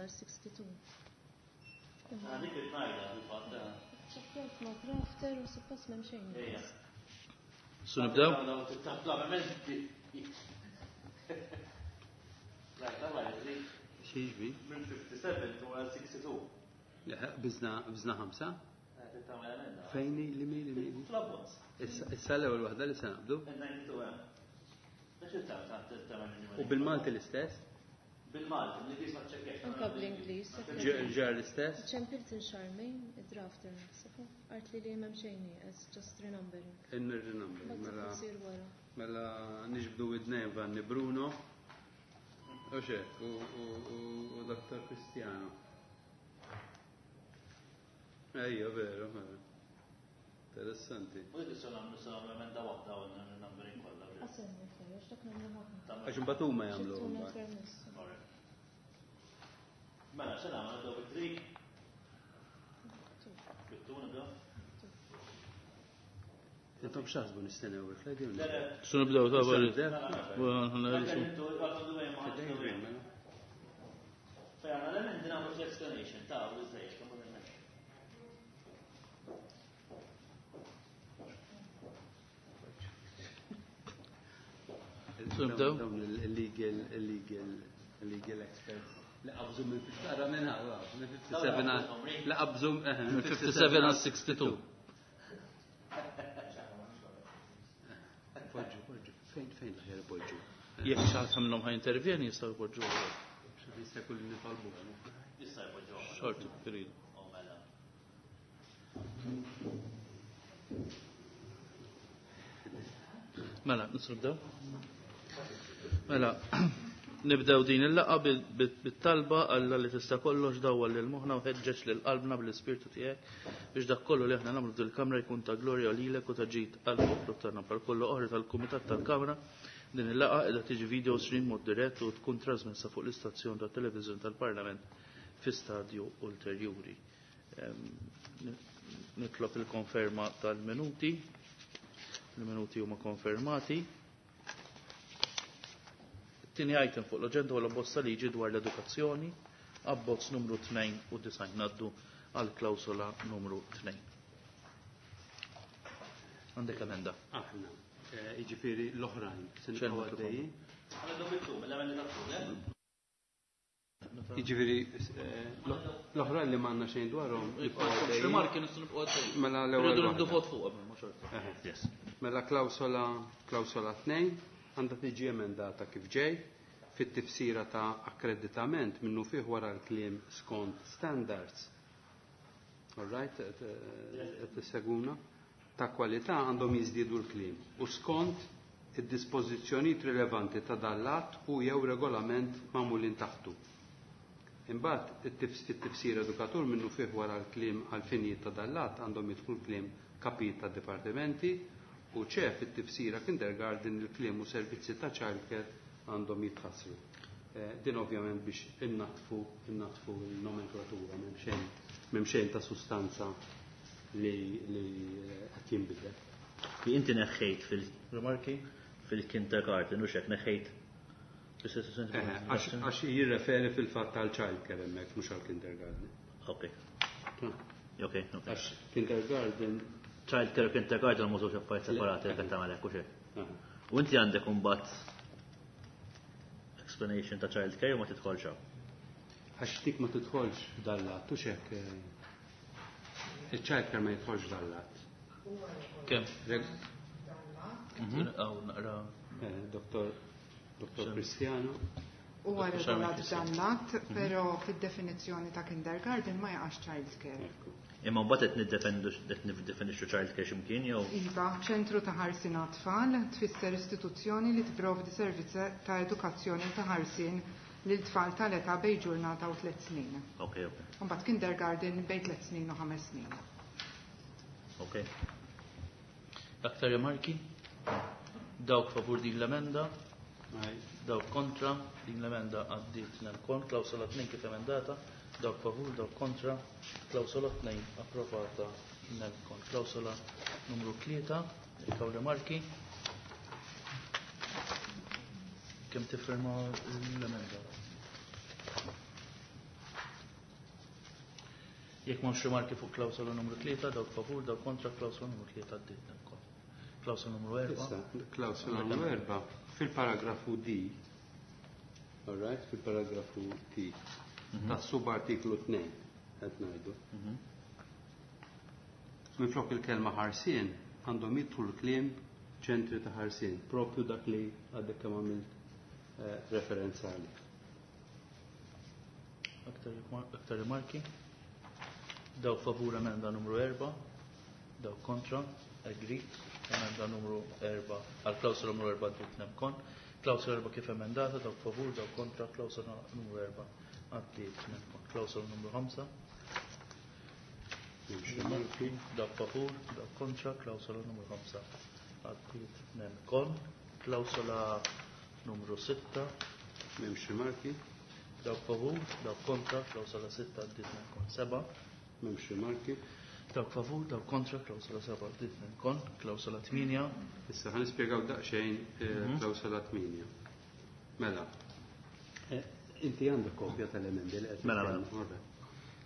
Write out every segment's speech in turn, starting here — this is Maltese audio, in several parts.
għal 62. Dik it-najda fil-fatt. Ċekkjajt ma' drafter u suppost m'hemm xejn. Su nibdew? Xieġbi? Minn 57 to 62. Bizna ħamsa? Fejni li mi li mi? Issa l-ewwel waħda li se naqbdu. U bil-Malti l-istess? Bil-Malti, l-Ingliż ma ċekkjax. Anka bl-Ingliż. Ġar l-istess? Ċempilt inxarmejn, id-drafter naħseb. Art li li m'hemm xejn nieqes, just renumbering. In-renumbering. Mela mela niġbdu id-nejn Vanni Bruno. U xek, u Dr. Cristiano. Ejja, veru, veru. Interessanti. U dik se nagħmlu sa emenda waħda u numbering kollha. Asenni għax dak nagħmlu ħafna. Għax imbagħad huma jagħmlu. Mela, se nagħmlu nibdew bit-tri. Bit-tu nibdew. Intom x'taħsbu nistennew il-fledi? Su nibdew ta' Fejn għandna l-emendi nagħmlu fl-explanation ta' u iżdejjed. Nibdew? Dawn il-legal, illegal, illegal experts. Li qabżu minn 57 minn minn 57 li qabżu minn 57 għal 62. Poġġu, poġġu, fejn fejn l-ħer poġġu. Jekk xi ħadd minnhom ħa jintervjeni jistgħu jpoġġu. Jista' jkun li nitolbu. Jista' jpoġġu. Xorti, iridu. Mela. Mela, nistgħu Mela, nibdew din il-laqgħa bit-talba Alla li tista' kollox dawwal lil moħħna u ħeġġeġ lil qalbna bl-ispirtu tiegħek biex dak kollu li aħna nagħmlu f'dil-kamra jkun ta' glorja lilek u ta' ġid għall-poplu tagħna bħal kollu oħra tal-Kumitat tal-Kamra. Din il-laqgħa qiegħda tiġi video stream mod dirett u tkun trasmessa fuq l-istazzjon tat-televiżjoni tal-Parlament fi stadju ulterjuri. Nitlob il-konferma tal-minuti. Il-minuti huma konfermati. Tieni item fuq l-aġenda huwa l-abbozz ta' liġi dwar l-edukazzjoni, abbozz numru 92 ngħaddu għal klawsola numru 2. Għandek emenda. Aħna, jiġifieri l-oħrajn, se nibqgħu għaddejjin. Jiġifieri l-oħrajn li m'għandna xejn dwarhom. Rimarki nistgħu nibqgħu għaddejjin. Mela l-ewwel. Irridu nibdu vot fuq qabel ma xorta. Yes. Mela klawsola 2 għandha tiġi emendata kif ġej fit-tifsira ta' akkreditament minnu fih wara l-kliem skont standards. All right, qed tisseguna? Ta' kwalità għandhom jiżdiedu l-kliem u skont id-dispożizzjonijiet rilevanti ta' dan l-att u jew regolament magħmulin taħtu. Imbagħad it-tifsira edukatur minnu fih wara l-kliem għal finijiet ta' dan l-att għandhom jidħlu l-kliem kapijiet ta' dipartimenti u ċe fit-tifsira kindergarten il-kliem u servizzi ta' childcare għandhom jitħassru. Din ovvjament biex innatfu l-nomenklatura m'hemm xejn ta' sustanza li qed jinbidel. Li inti neħħejt Rimarki? fil-kindergarten u xek neħħejt. Għax jirreferi fil-fatt tal-childcare hemmhekk mhux għall-kindergarten. Ok. Ok, ok. Għax kindergarten Childcare u kindergarten mhux żewġ affarijiet separati qed tagħmel hekk u xejn. U inti għandek imbagħad explanation ta' childcare u ma tidħolx hawn. Għax dik ma tidħolx dal-lat, u xek il-childcare ma jidħolx dal-lat. Kemm? Aw naqra. Doktor Cristiano. Huwa regolat dan l-att, però fid-definizzjoni ta' kindergarten ma jaqax childcare. Imma mbagħad qed niddefendu qed niddefinixxu childcare x'imkien jew? Iva, ċentru ta' ħarsien għat-tfal tfisser istituzzjoni li tipprovdi servizz ta' edukazzjoni u ta' ħarsien lil tfal tal-età bejn ġurnata u 3 snin. Ok, ok. Mbagħad kindergarten bejn 3 snin u 5 snin. Ok. Aktar rimarki? Dawk favur din l-emenda? Dawk kontra? Din l-emenda għaddiet nel-kont, klawsola 2 kif emendata. Dawk favur, dawk kontra, klawsola 2 approvata nel-kont. Klawsola numru 3, jekk hawn rimarki. Kemm tiffirma l-emenda? Jekk m'hawnx rimarki fuq klawsola numru 3, dawk favur, dawk kontra, klawsola numru 3 għaddiet ukoll. Klawsola numru 4. Issa, klawsola numru 4 fil-paragrafu D. All right, fil-paragrafu D ta' subartiklu 2 qed ngħidu. Minflok il-kelma ħarsien għandhom jidħlu l-kliem ċentri ta' ħarsien, propju dak li għadek kemm għamilt referenza għalih. Aktar rimarki? Dawk favur emenda numru 4, dawk kontra, agreed, emenda numru 4, għal klawsola numru 4 għaddiet nemkon. Klawsola 4 kif emendata, dawk favur, dawk kontra, klawsola numru 4 għaddiet nemkon. Klawsola numru 5. Rimarki. Dawk favur, dawk kontra, klawsola numru 5 għaddiet nemkon. Klawsola numru 6. M'hemmx rimarki. Dawk favur, dawk kontra, klawsola 6 għaddiet nemkon. 7. M'hemmx rimarki. Dawk favur, dawk kontra, klawsola 7 għaddiet nemkon. Klawsola 8. Issa ħa nispjegaw daqsxejn klawsola 8. Mela, inti għandek kopja tal-emendi li qed Mela, mela. nitkellmu. All right.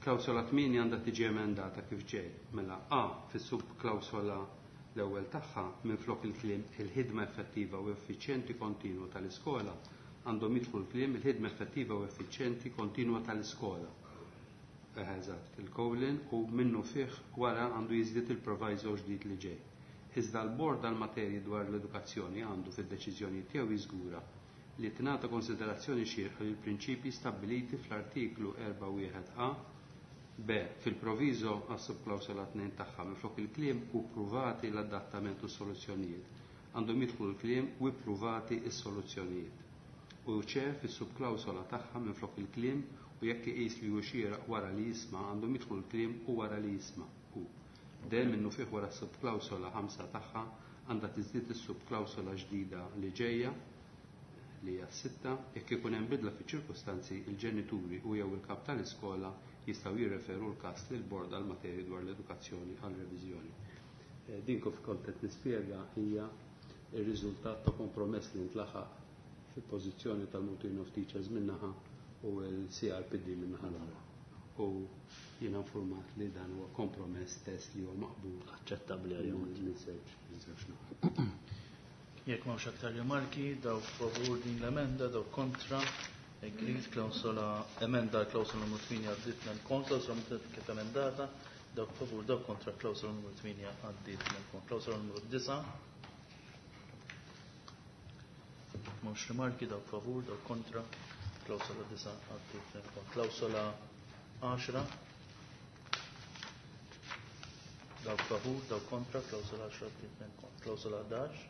Klawsola 8 għandha tiġi emendata kif ġej. Mela A fis-subklawsola l-ewwel tagħha minflok il-kliem il-ħidma effettiva u effiċjenti kontinwa tal-iskola għandhom jidħlu l-kliem il-ħidma effettiva u effiċjenti kontinwa tal-iskola. Eżatt, il-colon u minnu fih wara għandu jiżdied il-proviso ġdid li ġej. Iżda l-bord għal-materji dwar l-edukazzjoni għandu fid-deċiżjoni tiegħu jiżgura li tingħata konsiderazzjoni xierqa lil prinċipji stabbiliti fl-artiklu 4.1a B fil-proviso għas-subklawsola 2 tagħha minflok il-kliem u ppruvati l-adattament u s-soluzzjonijiet. Għandhom jidħlu l-kliem u ppruvati s-soluzzjonijiet. U C fis-subklawsola tagħha minflok il-kliem u jekk iqis li hu xieraq wara li jisma' għandhom jidħlu l-kliem u wara li jisma'. U D minnu fih wara s-subklawsola 5 tagħha għandha tiżdied is-subklawsola ġdida li ġejja li hija 6, jekk ikun hemm bidla fiċ-ċirkustanzi, il-ġenituri u jew il-kap tal-iskola jistgħu jirreferu l-każ lil bord għal materji dwar l-edukazzjoni għal reviżjoni. Din kif kont qed nispjega hija r-riżultat ta' kompromess li ntlaħaq fil-pożizzjoni tal-Malta Union of Teachers minnaħa u l-CRPD minnaħa l-oħra. U jiena informat li dan huwa kompromess test li huwa maqbul Aċċettabbli għalihom. minn żewġ naħat. Jekk m'hawnx aktar rimarki, dawk favur din l-emenda, dawk kontra, agreed, klawsola emenda klawsola numru 8 għaddiet nemkon, klawsola numru 8 kif emendata, dawk favur, dawk kontra, klawsola numru 8 għaddiet nemkon, klawsola numru 9. M'hawnx rimarki, dawk favur, dawk kontra, klawsola 9 għaddiet nemkon, klawsola 10. Dawk favur, dawk kontra, klawsola 10 għaddiet nemkon, klawsola 11.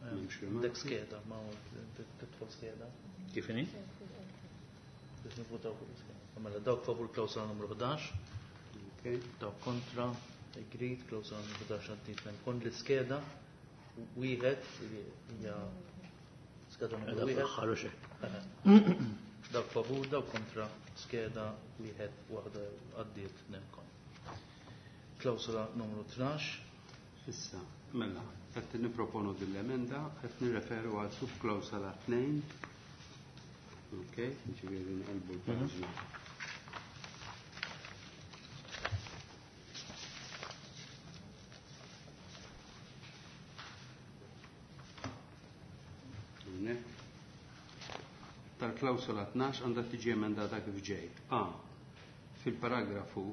M'hemmx rimarki. Dek skeda, ma titfol skeda. Kif inhi? Biex nivvutaw fuq l-iskeda. Mela dawk favur klawsola numru 11, Okay. dawk kontra, agreed, klawsola numru 11 għaddiet nemkon l-iskeda wieħed li hija skeda numru Edha wieħed. fl-aħħar u xejn. Dawk favur, dawk kontra, skeda wieħed waħda għaddiet nemkon. Klawsola numru 12. Issa, mela, qed nipproponu din l-emenda, qed nirreferu għal subklawsola 2. Ok, ġifieri nqelbu l-paġna. Hawnhekk. Tal-klawsola 12 għandha tiġi emendata kif ġej. A. Fil-paragrafu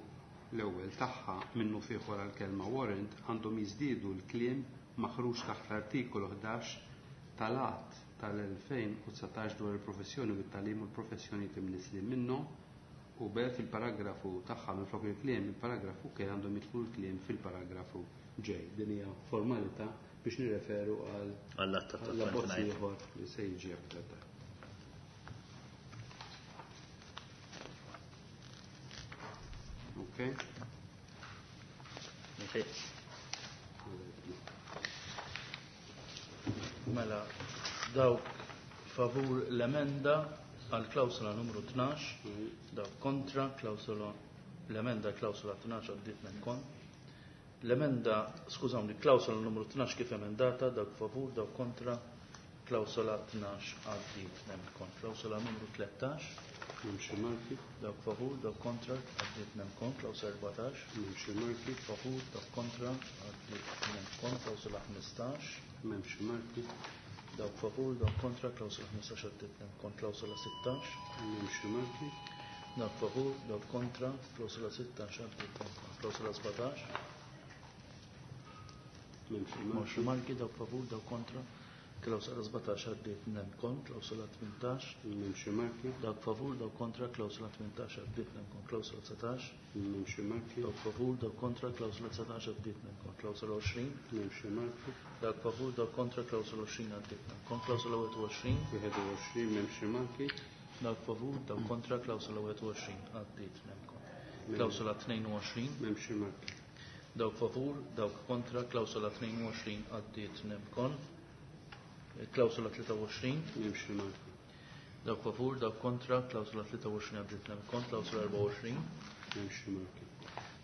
l-ewwel tagħha minnu fih wara l-kelma warrant għandhom jiżdiedu l-kliem maħruġ taħt l-artikolu 11 tal-Att tal-2019 dwar il-professjoni u t-tagħlim u l-professjonijiet imnislin minnu u B fil-paragrafu tagħha minflok il-kliem il-paragrafu K għandhom jidħlu l-kliem fil-paragrafu J. Din hija formalità biex nirreferu għal Għall-att ta' l-abbozz 29. ieħor li se jiġi aktar tard. Okay. Okay. Mela, dawk favur l-emenda għal klawsola numru 12, dawk kontra klawsola l-emenda klawsola 12 għaddiet nemkon. L-emenda, skużawni, klawsola numru 12 kif emendata, dawk favur, dawk kontra, klawsola 12 għaddiet nemkon. Klawsola numru 13. M'hemmx rimarki. Dawk favur, dawk kontra, għaddiet nemkon. Klawsola 14. M'hemmx rimarki. Favur, dawk kontra, għaddiet nemkon. Klawsola 15. M'hemmx rimarki. Dawk favur, dawk kontra, klawsola 15 għaddiet nemkon. Klawsola 16. M'hemmx rimarki. Dawk favur, dawk kontra, klawsola 16 għaddiet nemkon. Klawsola 17. M'hemmx M'hemmx rimarki. rimarki, dawk favur, dawk kontra, klawsola 17 għaddiet nemkon. Klawsola 18. M'hemmx rimarki. Dawk favur, dawk kontra, klawsola 18 għaddiet nemkon. Klawsola 19. M'hemmx rimarki. Dawk favur, dawk kontra, klawsola 19 għaddiet nemkon. Klawsola 20. M'hemmx rimarki. Dawk favur, dawk kontra, klawsola 20 għaddiet nemkon. Klawsola 21. 21 m'hemmx rimarki. Dawk favur, dawk kontra, klawsola 21 għaddiet nemkon. Klawsola 22. M'hemmx rimarki. Dawk favur, dawk kontra, klawsola 22 għaddiet nemkon. Klawsola 23. M'hemmx rimarki. Dawk favur, dawk kontra, klawsola 23 għaddiet nemkon. Klawsola 24. M'hemmx rimarki.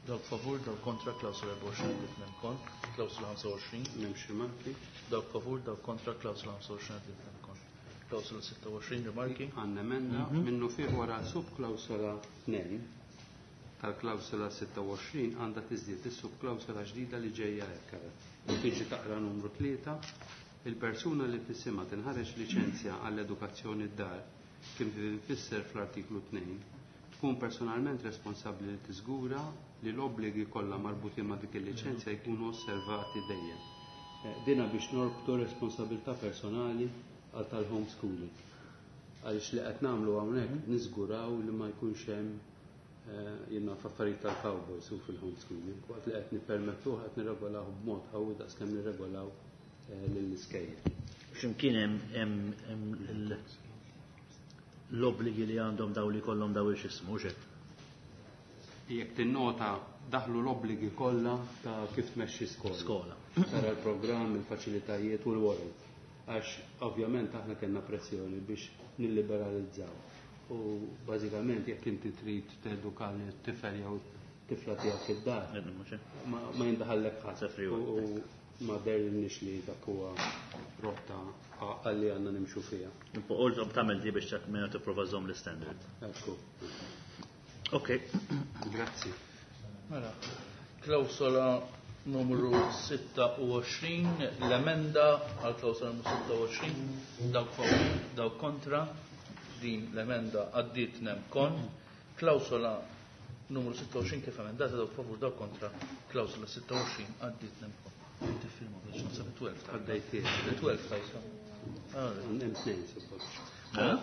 Dawk favur, dawk kontra, klawsola 24 għaddiet nemkon. Klawsola 25. M'hemmx rimarki. Dawk favur, dawk kontra, klawsola 25 għaddiet nemkon. Klawsola 26, rimarki. Għandna emenda minnu fih wara subklawsola 2 tal-klawsola 26 għandha tiżdied is-subklawsola ġdida li ġejja hekk ara. Tiġi taqra numru 3, il-persuna li f'isimha tinħareġ liċenzja għall-edukazzjoni d-dar kif infisser fl-artiklu 2 tkun personalment responsabbli li tiżgura li l-obbligi kollha marbutin ma' dik il-liċenzja jkunu osservati dejjem. Dina biex norbtu responsabilità personali għal tal-homeschooling. Għaliex li qed nagħmlu hawnhekk niżguraw li ma jkunx hemm jiena f'affarijiet tal-cowboys u fil-homeschooling. Waqt li qed nippermettuh qed nirregolaw b'mod qawwi daqskemm nirregolaw lill-iskejjel. X'imkien hemm l-obbligi li għandhom daw li kollhom daw il-xismu, mhux hekk? Jekk tinnota daħlu l-obbligi kollha ta' kif tmexxi skola. Skola. Tara l-programm, il-faċilitajiet u l-warrant. Għax ovvjament aħna kellna pressjoni biex nilliberalizzaw. U bażikament jekk inti trid teduka lit-tifel jew tifla tiegħek id-dar, ma jindaħallek ħadd. Sefri U ma dernix li dak huwa rotta għalli għandna nimxu fiha. U tagħmel di biex minn tipprova żomm l-standard. Ekku. Ok. Grazzi. Mela, klawsola numru 26, l-emenda għal klawsola numru 26, dawk favur, dawk kontra, din l-emenda għaddiet nemkon. Klawsola numru 26 kif emendata, dawk favur, dawk kontra, klawsola 26 għaddiet nemkon. Inti firma biex naħseb 12. Għaddejtiet. 12 tajsa. Hemm tnejn suppost.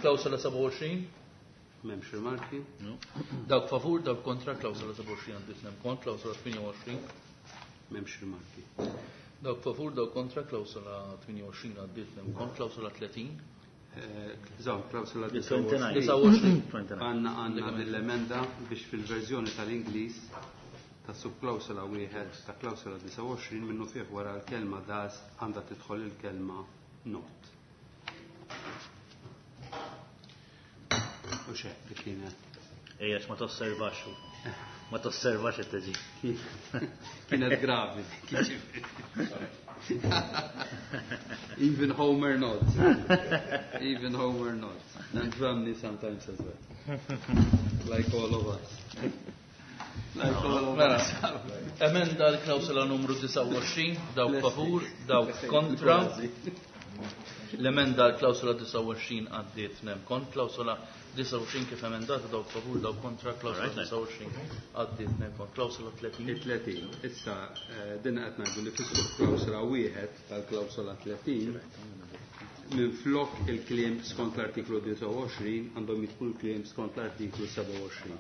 Klawsola 27. M'hemmx rimarki. Dawk favur, dawk kontra, klawsola 27 għaddiet nemkon, klawsola 28. M'hemmx rimarki. Dawk favur, dawk kontra, klawsola 28 għaddiet nemkon, klawsola 30. Żomm, klawsola 29. 29. Għandna dell-emenda biex fil-verżjoni tal-Ingliż ta' subklawsola wieħed ta' klawsola 29 minnu fih wara l-kelma does għandha tidħol il-kelma not. U xek, dik kienet. Ejja, ma tosservax. Ma tosservax it-teġi. Kienet gravi. Even Homer nods. Even Homer nods. And Romney sometimes as well. Like all of us. Like all of Mela, us. emenda l-klawsola numru 29, dawk favur, dawk kontra. L-emenda l-klawsola 29 għaddiet nemkon, klawsola 29 kif emendata, dawk favur, dawk kontra, klawsola 29 għaddiet nemkon, klawsola 30. Il-30, issa din qed ngħidu li fis-subklawsola wieħed tal-klawsola 30 minn flok il-kliem skont l-artiklu 29 għandhom jidħlu l-kliem skont l-artiklu 27.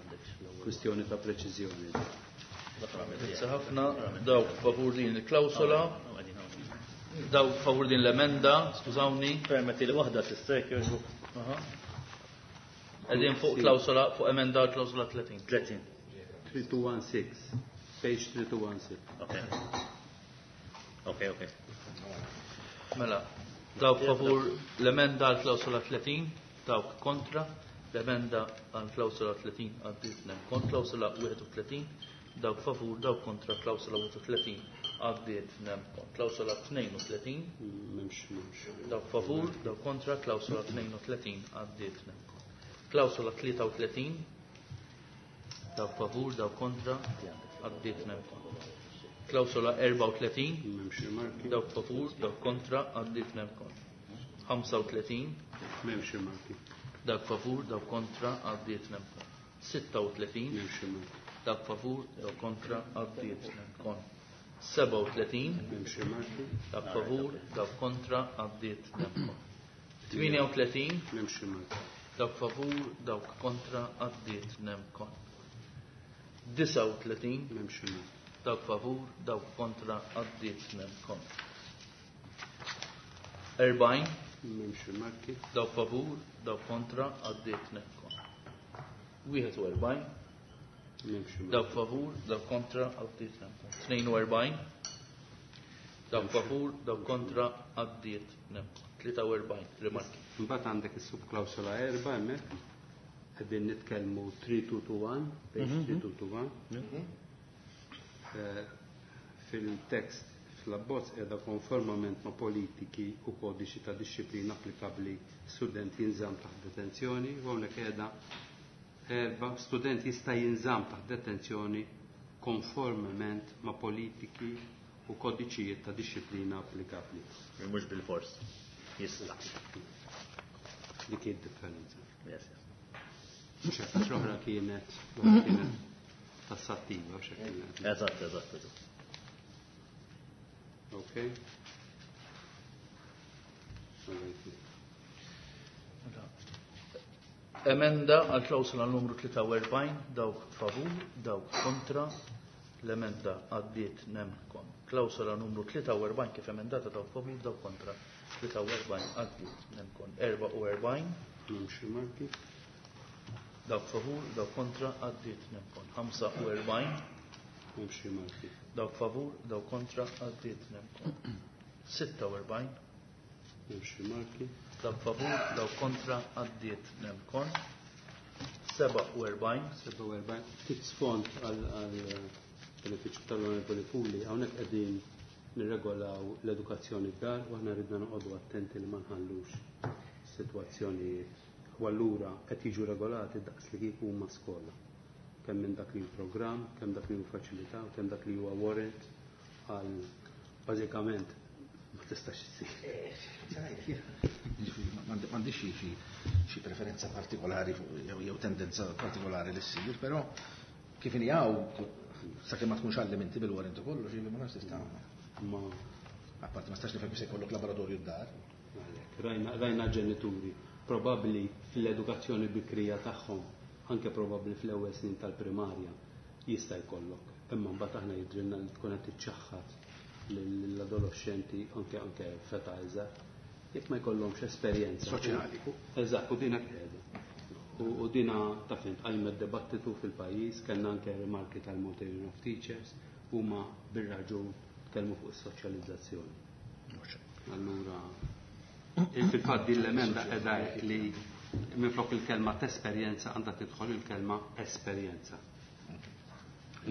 Kwistjoni ta' preċiżjoni. Grazzi ħafna, dawk favur din il-klawsola, dawk favur din l-emenda, skużawni. Permetti li waħda tista' jogħġbok. Qegħdin fuq klawsola, fuq emenda klawsola 30. 30. 3216, page 3216. Ok. Ok, ok. Mela, dawk favur l-emenda għal klawsola 30, dawk kontra, l-emenda għal klawsola 30 għaddiet nemkon, klawsola 31, dawk favur, dawk kontra, klawsola 31 għaddiet nemkon, klawsola 32, M'hemmx, m'hemmx. dawk favur, dawk kontra, klawsola 32 għaddiet nemkon. Klawsola 33, dawk favur, dawk kontra, għaddiet nemkon. Klawsola 34, M'hemmx rimarki. dawk favur, dawk kontra, għaddiet nemkon. 35, M'hemmx rimarki. dawk favur, dawk kontra, għaddiet nemkon. 36, M'hemmx rimarki. dawk favur, dawk kontra, għaddiet nemkon. 37, M'hemmx rimarki. dawk favur, dawk kontra, għaddiet nemkon. 38, M'hemmx rimarki. dawk favur, dawk kontra, għaddiet nemkon. 39, M'hemmx rimarki. dawk favur, dawk kontra, għaddiet nemkon. 40, M'hemmx rimarki. dawk favur, dawk kontra, għaddiet nemkon. 41, M'hemmx rimarki. dawk favur, dawk kontra, għaddiet nemkon. 42, dawk favur, dawk kontra, għaddiet nemkon. 43, rimarki. Mbagħad għandek is-subklawsola 4 hemmhekk. Qegħdin nitkellmu 3221, page 3221. Fil-tekst fl-abbozz qiegħda konformament ma' politiki u kodiċi ta' disċiplina applikabbli student jinżamm taħt detenzjoni u hawnhekk qiegħda erba' student jista' jinżamm taħt detenzjoni konformement ma' politiki u kodiċijiet ta' disċiplina applikabbli. Mhux bil-fors. Jista'. Dik hi d-differenza. Yes, yes. Mhux hekk, għax l-oħra kienet l-oħra kienet tassattiva, x'hekk kienet. Eżatt, eżatt, eżatt. Okay. All right. Emenda għal klawsola numru 43, dawk favur, dawk kontra, l-emenda għaddiet nemkon. Klawsola numru 43 kif emendata dawk favur, dawk kontra. 43 għaddiet nemkon. 44, M'hemmx rimarki. dawk favur, dawk kontra, għaddiet nemkon. 45, M'hemmx rimarki. dawk favur, dawk kontra, għaddiet nemkon. 46, M'hemmx rimarki. dawk favur, dawk kontra, għaddiet nemkon. 47, 47. Ftit sfond għal benefiċċju tal-Onorevoli Puli, hawnhekk qegħdin nirregolaw l-edukazzjoni d-dar u aħna ridna noqogħdu attenti li ma nħallux sitwazzjonijiet u allura qed jiġu regolati daqs li kieku huma skola. Kemm minn dak li hu programm, kemm dak li hu faċilità, kemm dak li huwa warrant għal bażikament ma tistax issir. M'għandix xi preferenza partikolari jew tendenza partikolari li ssir, però kif inhi hawn sakemm ma tkunx għallim inti bil-warrant u kollox, jiġifieri ma nafx tista' Ma apparti ma stax nifhem kif se jkollok laboratorju d-dar. Għalhekk, rajna ġenituri probabbli fl-edukazzjoni bikrija tagħhom, anke probabbli fl-ewwel snin tal-primarja jista' jkollok. Imma mbagħad aħna jidrilna li tkun qed tiċċaħħad lill-adolescenti anke feta iżgħar jekk ma jkollhomx esperjenza soċjali. Eżatt, u dina qiegħda. U dina taf int qajmet dibattitu fil-pajjiż, kellna anke rimarki tal-Malta Union of Teachers, huma bir-raġun tkellmu fuq is-soċjalizzazzjoni. Allura, fil-fatt din l-emenda qiegħda li minflok il-kelma tesperjenza għandha tidħol il-kelma esperjenza.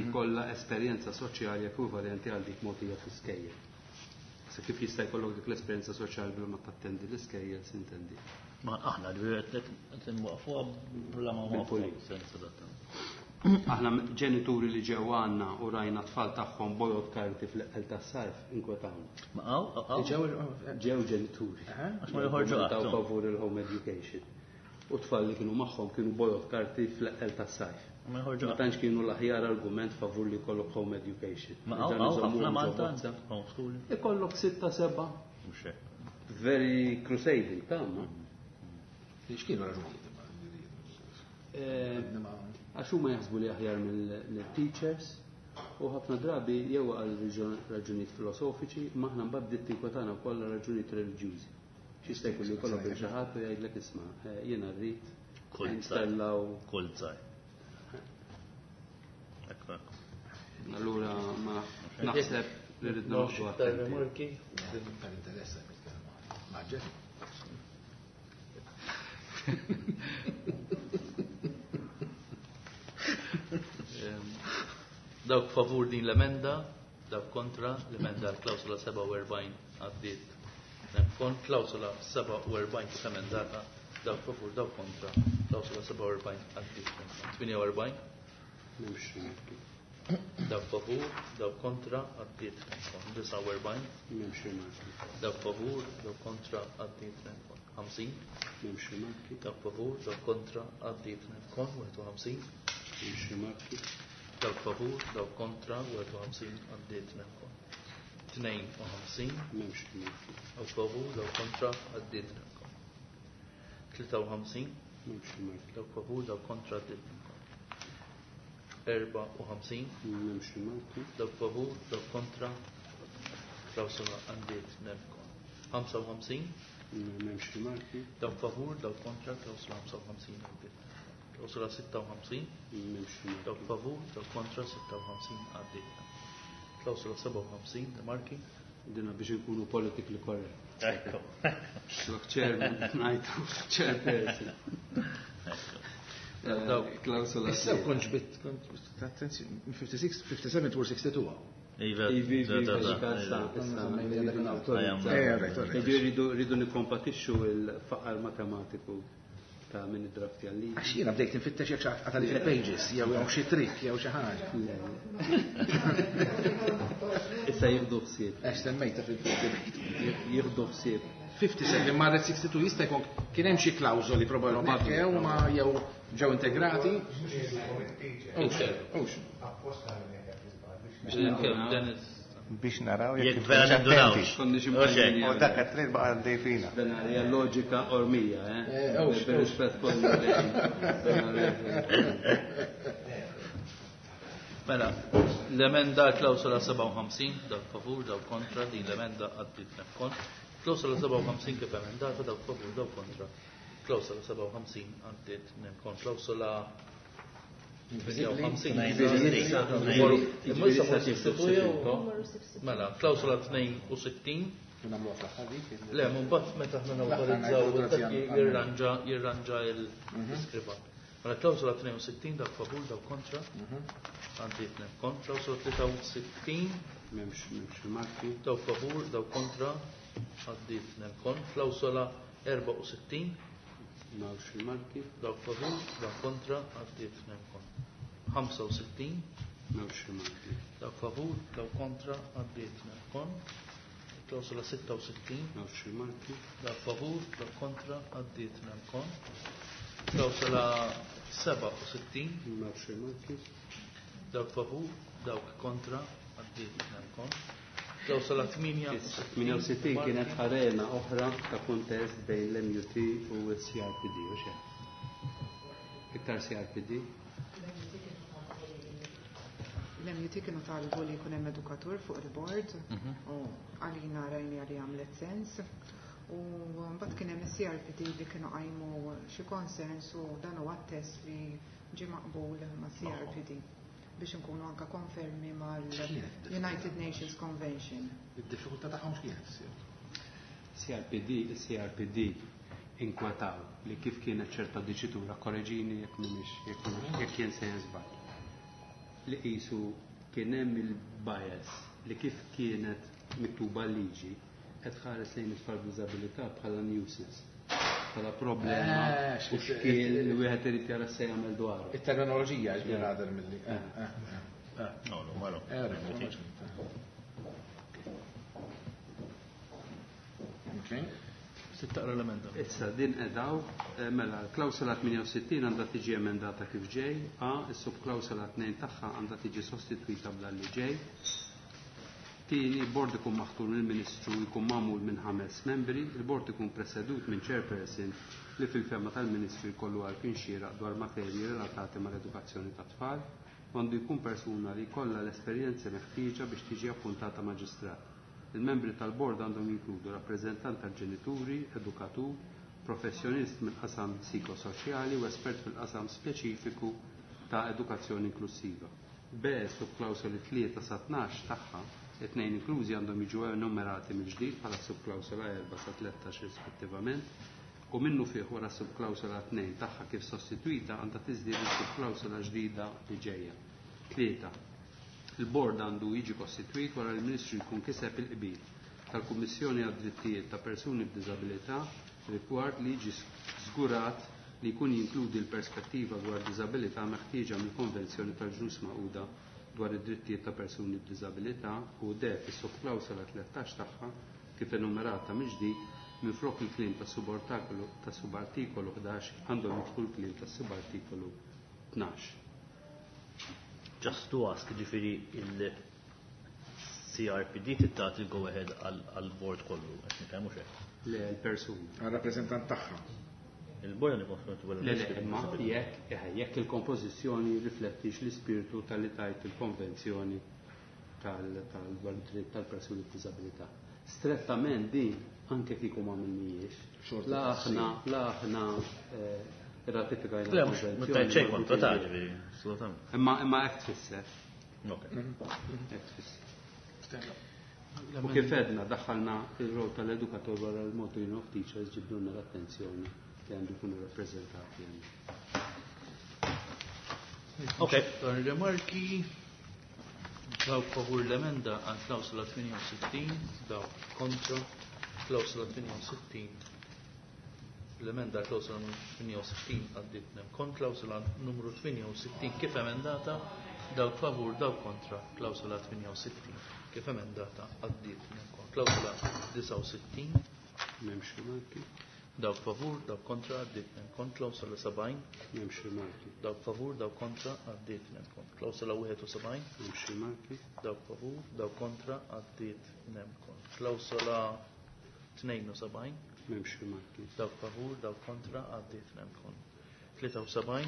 Ikolla esperjenza soċjali ekwivalenti għal dik mogħtija fl-iskejjel. Se kif jista' jkollok dik l-esperjenza soċjali bla ma tattendi l-iskejjel sintendi. Ma aħna qed nwaqfuha bla ma nwaqfu. Bil-pulit. Aħna ġenituri li ġew għandna u rajna tfal tagħhom bojod karti fl-eqqel tas-sajf inkwetawna. Ma hawn, hawn. Ġew ġenituri. Għax ma joħorġu Taw qatt. favur il-home education. U tfal li kienu magħhom kienu bojod karti fl-eqqel tas-sajf. Ma joħorġu Ma qatt. tantx kienu l-aħjar argument favur li jkollok home education. Ma hawn Dan hawn iżommuhom ħafna ġo Malta bozza. homeschooling. Ikollok sitta seba'. Mhux hekk. Very crusading, ta' ma. X'kienu raġunijiet imma? Għax huma jaħsbu li aħjar mill-teachers u ħafna drabi jew għal raġunijiet filosofiċi, ma aħna mbagħad bdiet tinkwetana wkoll għal raġunijiet reliġjużi. X'jista' jkun li jkollok lil xi ħadd u jgħidlek isma' jiena rrid Kull ntellaw. Kull żgħir. Ekku, ekku. Allura ma naħseb li rrid noqogħdu Iktar attenti. rimarki? Tal-interess nitkellmu. Maġġel. Dawk favur din l-emenda, dawk kontra, l-emenda klawsola 47 għaddiet. Kon klawsola 47 kif emendata, Dawk favur, dawk kontra. Klawsola 47 għaddiet. 48. M'hemmx rimarki. Dawk favur, dawk kontra, għaddiet. 49. M'hemmx rimarki. Dawk favur, dawk kontra, għaddiet. 50. M'hemmx rimarki. Dawk favur, dawk kontra, għaddiet. 51. M'hemmx rimarki. Dawk favur, dawk kontra, 51 għaddiet. 52. M'hemmx rimarki. Dawk favur, dawk kontra, għaddiet. 53. M'hemmx rimarki. Dawk favur, dawk kontra, għaddiet. 54. M'hemmx rimarki. Dawk favur, dawk kontra, klawsola għaddiet. 55. M'hemmx rimarki. Dawk favur, dawk kontra, klawsola 55 għaddiet. Klawsola 56. M'hemmx rimarki. Dawk favur, dawk kontra, 56 għaddiet. Klawsola 57, rimarki. Dina biex nkunu politically correct. Ekku. Lok chairman, ngħidu chairperson. Klawsola. Issa kont ġbit, kont attenzjoni, 56, 57 tmur 62 għaw. Iva, Ivi, ivi, iva, issa, rridu nawtorizzaw. Right, all right. Jiġifieri rridu nikkompatixxu il-faqar matematiku ta' min id-drafti għal-liġi. Għax jiena bdejt nfittex jekk xi għatali fil-pages, jew jew xi trick, jew xi ħaġa. Le, le. Issa jieħdu ħsieb. Għax semmejta fil-debate. Jieħdu ħsieb. 57 marret 62 jista' jkun kien hemm xi klawżoli probabbilment jew ma jew ġew integrati. Ux, Biex naraw. Dennis. Biex naraw Jekk jekk vera inkunux nindunawx. attenti. Konniex Oxek. imqajmin U dak għat-trid baqa' għaddej fina. Dan hija loġika ormija, eh? Ux, Bir-rispett kollu lejn. Dan għalija- Mela, l-emenda klawsola 57, dawk favur, dawk kontra, din l-emenda għaddiet kon. Klawsola 57 kif emendata, dawk favur, dawk kontra. Klawsola 57 għaddiet kon. Klawsola 58. Imma issa morru 62 jew- Numru 62. Mela, klawsola 62. Nagħmluha fl-aħħar dik. Le, mbagħad meta aħna L-aħħar nawtorizzaw ngħidu dak għal- jirranġa l-iskriba. Mela klawsola 62 dawk favur, dawk kontra. Għaddiet kon. Klawsola 63 M'hemmx rimarki. dawk favur, dawk kontra. Għaddiet kon. Klawsola 64 M'hawnx rimarki. dawk favur, dawk kontra. Għaddiet kon. 65 M'hawnx rimarki. dawk favur, dawk kontra. Għaddiet kon. Klawsola 66 M'hawnx rimarki. Dawk favur, dawk kontra, għaddiet kon. Klawsola 67, M'hawnx rimarki. dawk favur, dawk kontra, għaddiet kon. Klawsola 68. 68 kienet arena oħra ta' kontest bejn l-MUT u l-CRPD, u xe? Iktar CRPD? L-MUT kienu talbu li jkun hemm edukatur fuq il-board u għalina rajni għali għamlet sens. U mbagħad kien hemm is-CRPD li kienu qajmu xi concerns u dan huwa test li ġie maqbul ma' CRPD biex nkunu anka konfermi mal-United Nations Convention. Id-diffikultà tagħhom x'kienet issir? CRPD, il-CRPD inkwetaw li kif kienet ċerta diċitura, korreġini jekk m'iniex, jekk jien se żball. Li qisu kien hemm il-bias li kif kienet miktuba l-liġi qed ħares lejn it-tfal b'diżabilità bħala nuisance, bħala problema u xkiel li wieħed irid jara se jagħmel dwaru. Il-terminoloġija ġbir għadar mill-li. No, no, ma no. Okay. Taqra l-emenda. Issa din edaw, mela, klawsola 68 għandha tiġi emendata kif ġej, A, is-subklawsola 2 tagħha għandha tiġi sostitwita b'dan li ġej. Tieni, il-bord ikun maħtur mill-Ministru jkun magħmul minn 5 membri, il-bord ikun presedut minn chairperson li fil-fehma tal-Ministru jkollu għarfien xieraq dwar materji relatati mal-edukazzjoni tat-tfal, u għandu jkun persuna li jkollha l-esperjenzi meħtieġa biex tiġi appuntata maġistrat. Il-membri tal-bord għandhom jinkludu rappreżentant tal-ġenituri, edukatur, professjonist mill-qasam psikosoċjali u espert fil-qasam speċifiku ta' edukazzjoni inklusiva. B, subklawsoli 3 sa 12 tagħha, it-tnejn inklużi għandhom jiġu enumerati mill-ġdid bħala subklawsola 4 sa 13 rispettivament, u minnu fih wara subklawsola 2 tagħha kif sostituita għandha tiżdied is-subklawsola ġdida li ġejja. 3. Il-bord għandu jiġi kostitwit wara li l-Ministru jkun kiseb il-qbil tal-Kummissjoni għad-Drittijiet ta' Persuni b'Diżabilità rigward li jiġi żgurat li jkun jinkludi l-perspettiva dwar diżabilità meħtieġa mill-Konvenzjoni tal-Ġnus Magħquda dwar id-drittijiet ta' persuni b'diżabilità u D fis-subklawsola 13 tagħha kif enumerata mill-ġdid minflok il-kliem tas-subartikolu 11 għandhom jidħlu l-kliem tas-subartikolu 12. Just to ask, ġifieri il-CRPD tagħti il-go ahead għal-board kollu, qed nifhem hux hekk? Le, l-persuna. Għal-rappreżentant tagħha. Il-board għandu jkun Le, le, imma jekk il-kompożizzjoni riflettix l-ispirtu tal-li tajt il-konvenzjoni tal-dritt tal-persuni b'diżabilità. Strettament din anke kieku ma għamilnijiex. Xorta La aħna, la aħna ratifikajna Le, mhux l-konvenzjoni. xejn kontra ta' ġifieri, assolutament. Imma hekk tfisser. Ok. Hekk tfisser. U kif edna daħħalna il-rol tal-edukatur wara l-Malta Union of Teachers ġibdulna l-attenzjoni li għandu jkunu rappreżentati hemm. Ok. Dan rimarki dawk favur l-emenda għal klawsola 68, dawk kontra klawsola 68. L-emenda għal klawsola numru 68 għaddiet nem kon klawsola numru 68 kif emendata, dawk favur, dawk kontra klawsola 68 kif emendata għaddiet nem kon klawsola 69. M'hemmx rimarki. Dawk favur, dawk kontra għaddiet nem kon klawsola 70. M'hemmx rimarki. Dawk favur, dawk kontra għaddiet nem kon klawsola 71. M'hemmx rimarki. Dawk favur, dawk kontra għaddiet nem kon klawsola 72. M'hemmx rimarki. Dawk favur, dawk kontra għaddiet nem kon 73.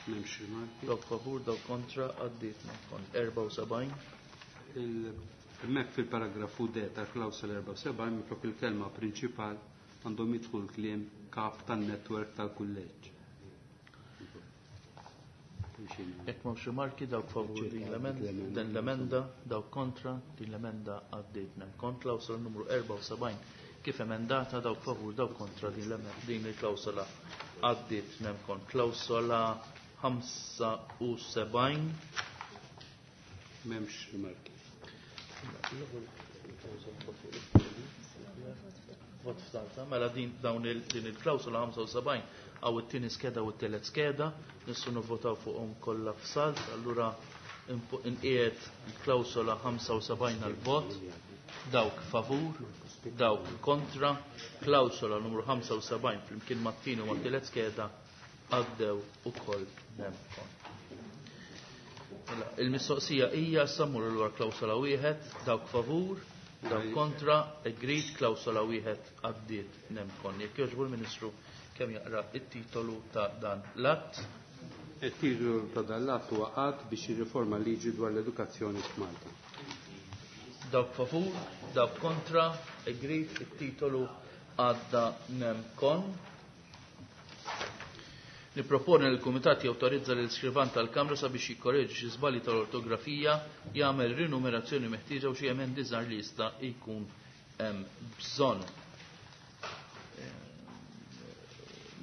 M'hemmx rimarki. Dawk favur, dawk kontra għaddiet nem kon 74. Hemmhekk fil-paragrafu D tal-klawsola 74 minflok il-kelma prinċipal għandhom jidħlu l-kliem kap tan-netwerk tal-kulleġġ. Jekk m'hawnx rimarki, dawk favur din l-emenda, din l-emenda, dawk kontra din l-emenda għaddiet nem kon klawsola numru 74 kif emendata, dawk favur, dawk kontra din l-emenda, din il-klawsola għaddiet nem kon klawsola 75. M'hemmx rimarki. Vot f'dalta, mela din dawn din il-klawsola 75 għaw it-tieni skeda u t-tielet skeda, nistgħu nivvotaw fuqhom kollha f'salt, allura inqiegħed il-klawsola 75 għal-vot, dawk favur, dawk kontra, klawsola numru 75 flimkien mat-tieni u mat-tielet skeda għaddew ukoll nemkon. Mela, il-mistoqsija hija sammur l klawsola wieħed, dawk favur, dawk kontra, agreed, klawsola wieħed għaddiet nemkon. Jekk jogħġbu l-Ministru kemm jaqra it-titolu ta' dan l-att. Il-titolu ta' dan l-att huwa att biex jirriforma liġi dwar l-edukazzjoni f'Malta. Dawk favur, dawk kontra, agreed, it-titolu għadda nemkon. Niproponi li l-Kumitat jawtorizza lil skrivan tal-Kamra sabiex jikkoreġi xi żbalji tal-ortografija, jagħmel rinumerazzjoni meħtieġa u xi emendi żgħar li jista' jkun hemm bżonn.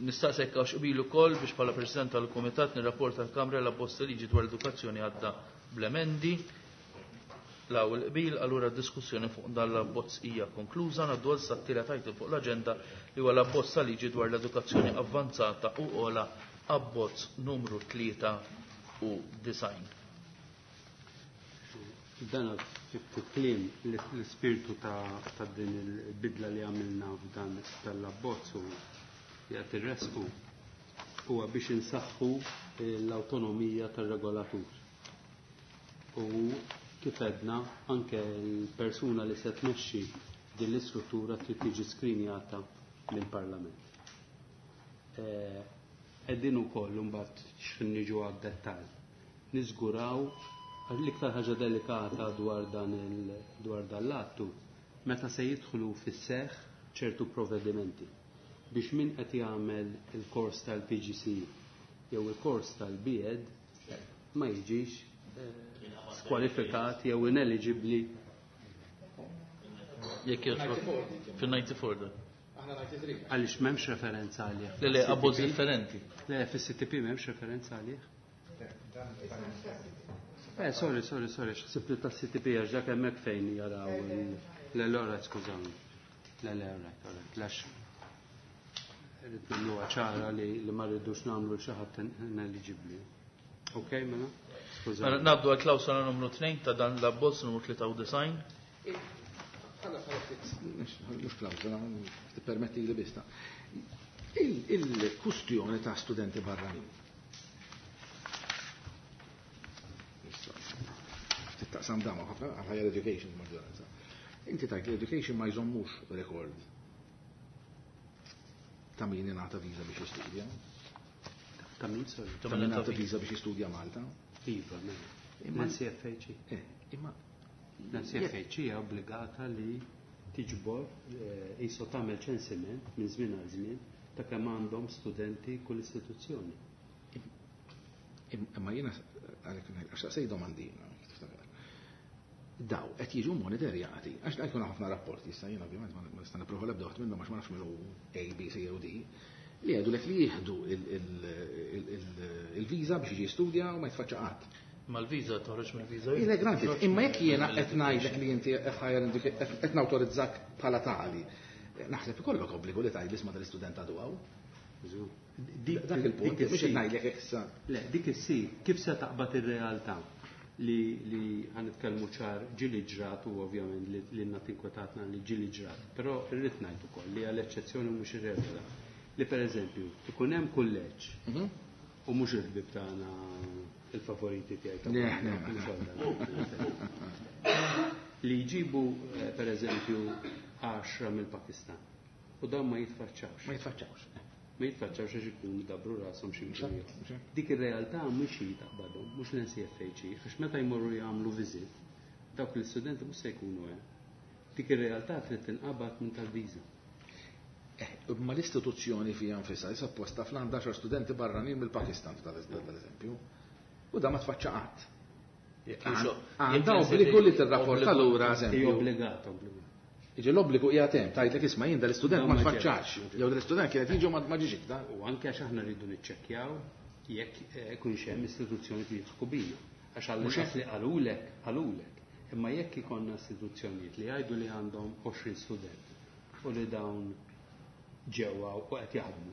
Nistaqsek għax qbil ukoll biex bħala President tal-Kumitat nirrapporta l-Kamra l-abbozz ta' liġi dwar l-edukazzjoni għadda bl-emendi. Law il-qbil, allura d-diskussjoni fuq dan l-abbozz hija konkluża. Ngħaddu għal sa t-tielet item fuq l-aġenda li huwa l-abbozz ta' liġi dwar l-edukazzjoni avvanzata u ola, abbozz numru 93. Dan fit-kliem l-ispirtu ta' din il-bidla li għamilna f'dan tal-abbozz u jgħat ir-resqu huwa biex insaħħu l-awtonomija tar-regolatur. U kif għedna anke l-persuna li se tmexxi din l-istruttura trid tiġi skrinjata mill-Parlament. Qegħdin ukoll imbagħad x'ħin niġu għad-dettall. Niżguraw l-iktar ħaġa delikata dwar dan l-attu meta se jidħlu fis-seħħ ċertu provvedimenti biex min qed jagħmel il-kors tal-PGCE jew il-kors tal-BEd ma jiġix skwalifikat jew ineligibbli. Jekk jogħġbok fil-94 da. Aħna 93. Għaliex m'hemmx referenza għalih. Le, le, abbozz differenti. Le, fis-CTP m'hemmx referenza għalih. Sorry, sorry, sorry, x'ħsibt li tas-CTP għax dak hemmhekk fejn jaraw le, le, all right, skużawni. Le, le, all right, all right, lax. Irrid nagħmluha ċara li ma rridux nagħmlu xi ħadd ineligibbli. Ok, mela? Skuża. Mela ngħaddu għal klawsola numru 2 ta' dan l-abbozz numru 93. Mhux klawsola, tippermetti li bista. Il-kustjoni ta' studenti barranin. Ftit taqsam dama ħafna għal higher education maġġoranza. Inti tajt li education ma jżommux rekord ta' min ingħata viża biex jistudja. Ta' min, sorry? Ta' min ingħata viża biex jistudja Malta. Iva, mela. Imma L-NCFHE. Imma L-NCFHE hija obbligata li tiġbor qisu tagħmel ċensiment minn żmien għal żmien ta' kemm għandhom studenti kull istituzzjoni. Imma jiena għalhekk ngħid, għax saqsej domandina, tiftakar. Daw qed jiġu monitorjati, għax da jkun ħafna rapporti, issa jiena ovvjament ma nista' nipprova l-ebda waħda minnhom għax ma nafx min hu A, B, C jew D, li jgħidulek li jieħdu il-viża biex jiġi jistudja u ma jitfaċċa qatt. Ma l-viża toħroġ mill-viża. Ile granted, imma jekk jiena qed ngħidlek li inti qed nawtorizzak bħala tali, naħseb ikollok obbligu li tgħid isma' dal-istudent għadu hawn. Dak il-punt, mhux qed ngħidlek hekk issa. Le, dik issir, kif se taqbad ir-realtà li ħanitkellmu ċar ġieli ġrat u ovvjament li għandna tinkwetatna li ġieli ġrat, però irrid ngħid ukoll li għal eċċezzjoni mhux ir-regola. Li pereżempju ikun hemm kulleġġ u mhux il-ħbieb tagħna il-favoriti tiegħi ta' Le, le, mhux le. għal dan. Li jġibu pereżempju 10 mill-Pakistan u dawn ma jitfaċċawx. Ma jitfaċċawx. Ma jitfaċċawx għax ikunu dabru rashom xi Mhux mkien hekk, ieħor. mhux hekk. Dik ir-realtà mhux hi taqbadhom, mhux l-NCFHE, għax meta jmorru jagħmlu viżit, dawk l-istudenti mhux se jkunu hemm. Dik ir-realtà trid tinqabad minn tal-viża. Ma l-istituzzjoni fija nfisha issa apposta fl-għandha 10 studenti barranin mill-Pakistan tal-eżempju. U da ma tfaċċa qatt. Jekk jixo- Għandha jekk obbligu li jekk tirrapporta obbligu. lura, eżempju. Hija obbligata, obbligata. Iġi l-obbligu hija hemm, tgħidlek isma' jien dal-istudent No, ma ma tfaċċax. ġewx. Jew dal-istudent kienet jiġu ma ġiex iktar. U anke għax aħna rridu niċċekkjaw jekk ikunx hemm istituzzjoni li jidħku bina. Għax għall Mhux inqas hekk. li qalulek, qalulek. Imma jekk ikollna istituzzjonijiet li jgħidu li għandhom 20 student u li dawn ġewwa u qed jaħdmu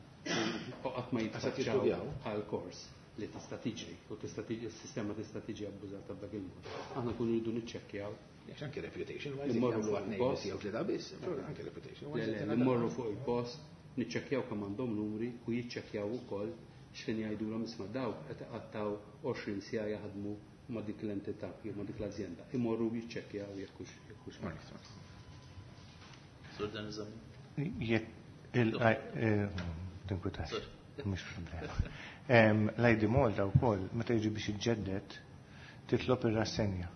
u qatt ma Għax qed jitfaċċaw jistudjaw. għal kors li tista' tiġri u tista' tiġi s-sistema tista' tiġi abbużata b'dak il-mod. Aħna nkunu rridu niċċekkjaw. Għax anke reputation wise, Immorru jagħmlu fuq għat il-post. biss jew tlieta biss, anke reputation Le, wise, le, jtina dak. immorru fuq il-post, niċċekkjaw kemm għandhom numri u jiċċekkjaw ukoll x'fejn jgħidulhom isma' dawk qed iqattaw 20 siegħa jaħdmu ma' dik l-entità jew ma' dik l-ażjenda. Imorru jiċċekkjaw jekk hux jekk hux. Sur Dan Zammit. Jekk il- tinkwitax, mhux problema. L-ID Malta wkoll meta jiġi biex iġġedded titlob ir-rassenja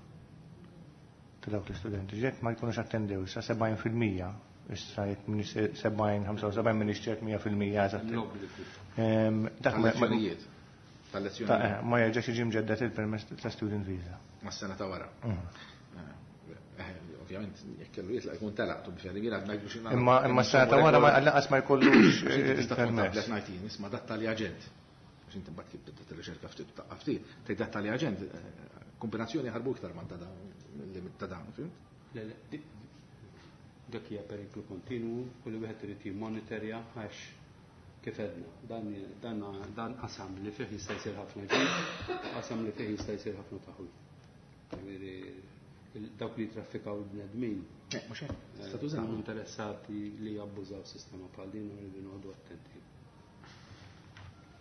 ta' dawk l-istudenti. Ġek ma jkunux attendew sa 70%, issa jekk minn 70, 75 minn ċert mija fil-mija eżatt. L-obbligu. Dak Tal-lezzjonijiet. Tal-lezzjonijiet. ma jerġax jiġi mġedded il-permess ta' student visa. Mas-sena ta' wara. Ovvjament, jekk kellu jitlaq jkun telaq, tu biex jiena ngħid biex nagħmel. Imma s-sena ta' wara ma lanqas ma jkollux Tista' tkun il-permess. tablet ngħid jien, isma' dat tal-aġent. Għax inti mbagħad kif tibda tirriċerka ftit taqqa' ftit, tgħid dat tal-aġent, kombinazzjoni ħarbu iktar ma ta' dawn, limit ta' dawn, fimt? Le, le, dak hija periklu kontinwu u li wieħed irid jimmonitorja għax kif għedna, dan qasam li fih jista' jsir ħafna ġid, qasam li fih jista' jsir ħafna taħwid. Jiġifieri, dawk li jitraffikaw il-bnedmin, Mhux hekk, tista' tużaw. huma interessati li jabbużaw sistema bħal din u rridu noqogħdu attenti.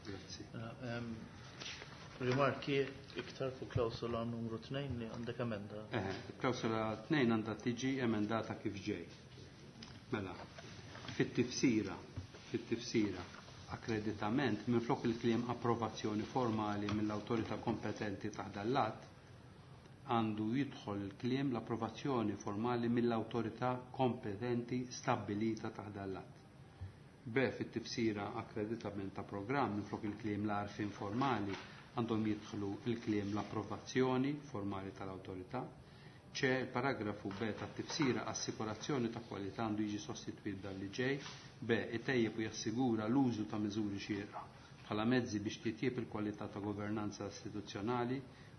Grazzi. Rimarki iktar fuq klawsola numru 2 li għandek emenda. Klawsola 2 għandha tiġi emendata kif ġej. Mela, fit-tifsira, akkreditament minflok il-kliem approvazzjoni formali mill-awtorità kompetenti taħt l-att, għandu jidħol il-kliem l-approvazzjoni formali mill-awtorità kompetenti stabbilita taħt l-att. B, fit-tifsira akkreditament ta' programm minflok il-kliem l-għarfien formali għandhom jidħlu il-kliem l-approvazzjoni formali tal-awtorità. C, il-paragrafu B tat-tifsira assikurazzjoni ta' kwalità għandu jiġi sostituit dan li ġej. B, itejjeb u jassigura l-użu ta' miżuri xierqa bħala mezzi biex titjieb il-kwalità ta' governanza istituzzjonali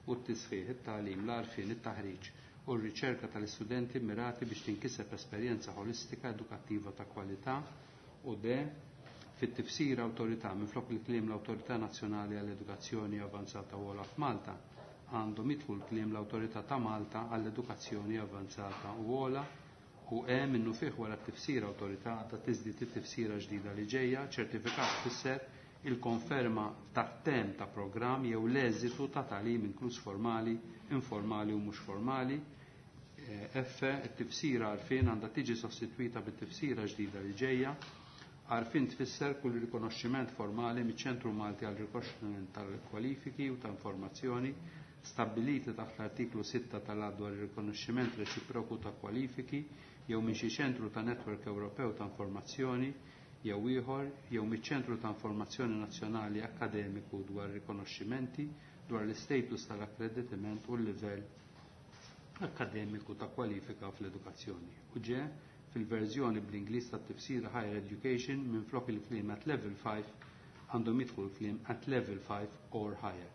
u t-tisħiħ, it-tagħlim, l-għarfien, it-taħriġ u r-riċerka tal-istudenti mirati biex tinkiseb esperjenza ħolistika edukattiva ta' kwalità. U D, Fit-tifsira awtorità minflok il-kliem l-Awtorità Nazzjonali għall-Edukazzjoni Avanzata u Ogħla f'Malta għandhom jidħlu l-kliem l-Awtorità ta' Malta għall-Edukazzjoni Avanzata u Ogħla u E minnufih wara t-tifsira awtorità għandha tiżdied it-tifsira ġdida li ġejja, ċertifikat tfisser il-konferma tat-temm ta' programm jew l-eżitu ta' tagħlim inkluż formali, informali u mhux formali. F, it-tifsira għarfien għandha tiġi sostitwita bit-tifsira ġdida li ġejja. Għarfien tfisser kull rikonoxximent formali miċ-Ċentru Malti għal Rikonoxximent tal-Kwalifiki u ta' Informazzjoni stabbiliti taħt l-artiklu 6 tal-Att dwar ir-rikonoxximent reċiproku ta' kwalifiki jew minn xi ċentru ta' Netwerk Ewropew ta' Informazzjoni jew ieħor jew miċ-Ċentru ta' Informazzjoni Nazzjonali Akkademiku dwar rikonoxximenti dwar l-istatus tal-akkreditament u l-livell akkademiku ta' kwalifika fl-edukazzjoni. U ġe, fil-verżjoni bl-Ingliż tat-tifsira Higher Education minflok il-kliem at level 5 għandhom jidħlu l-kliem at level 5 or higher.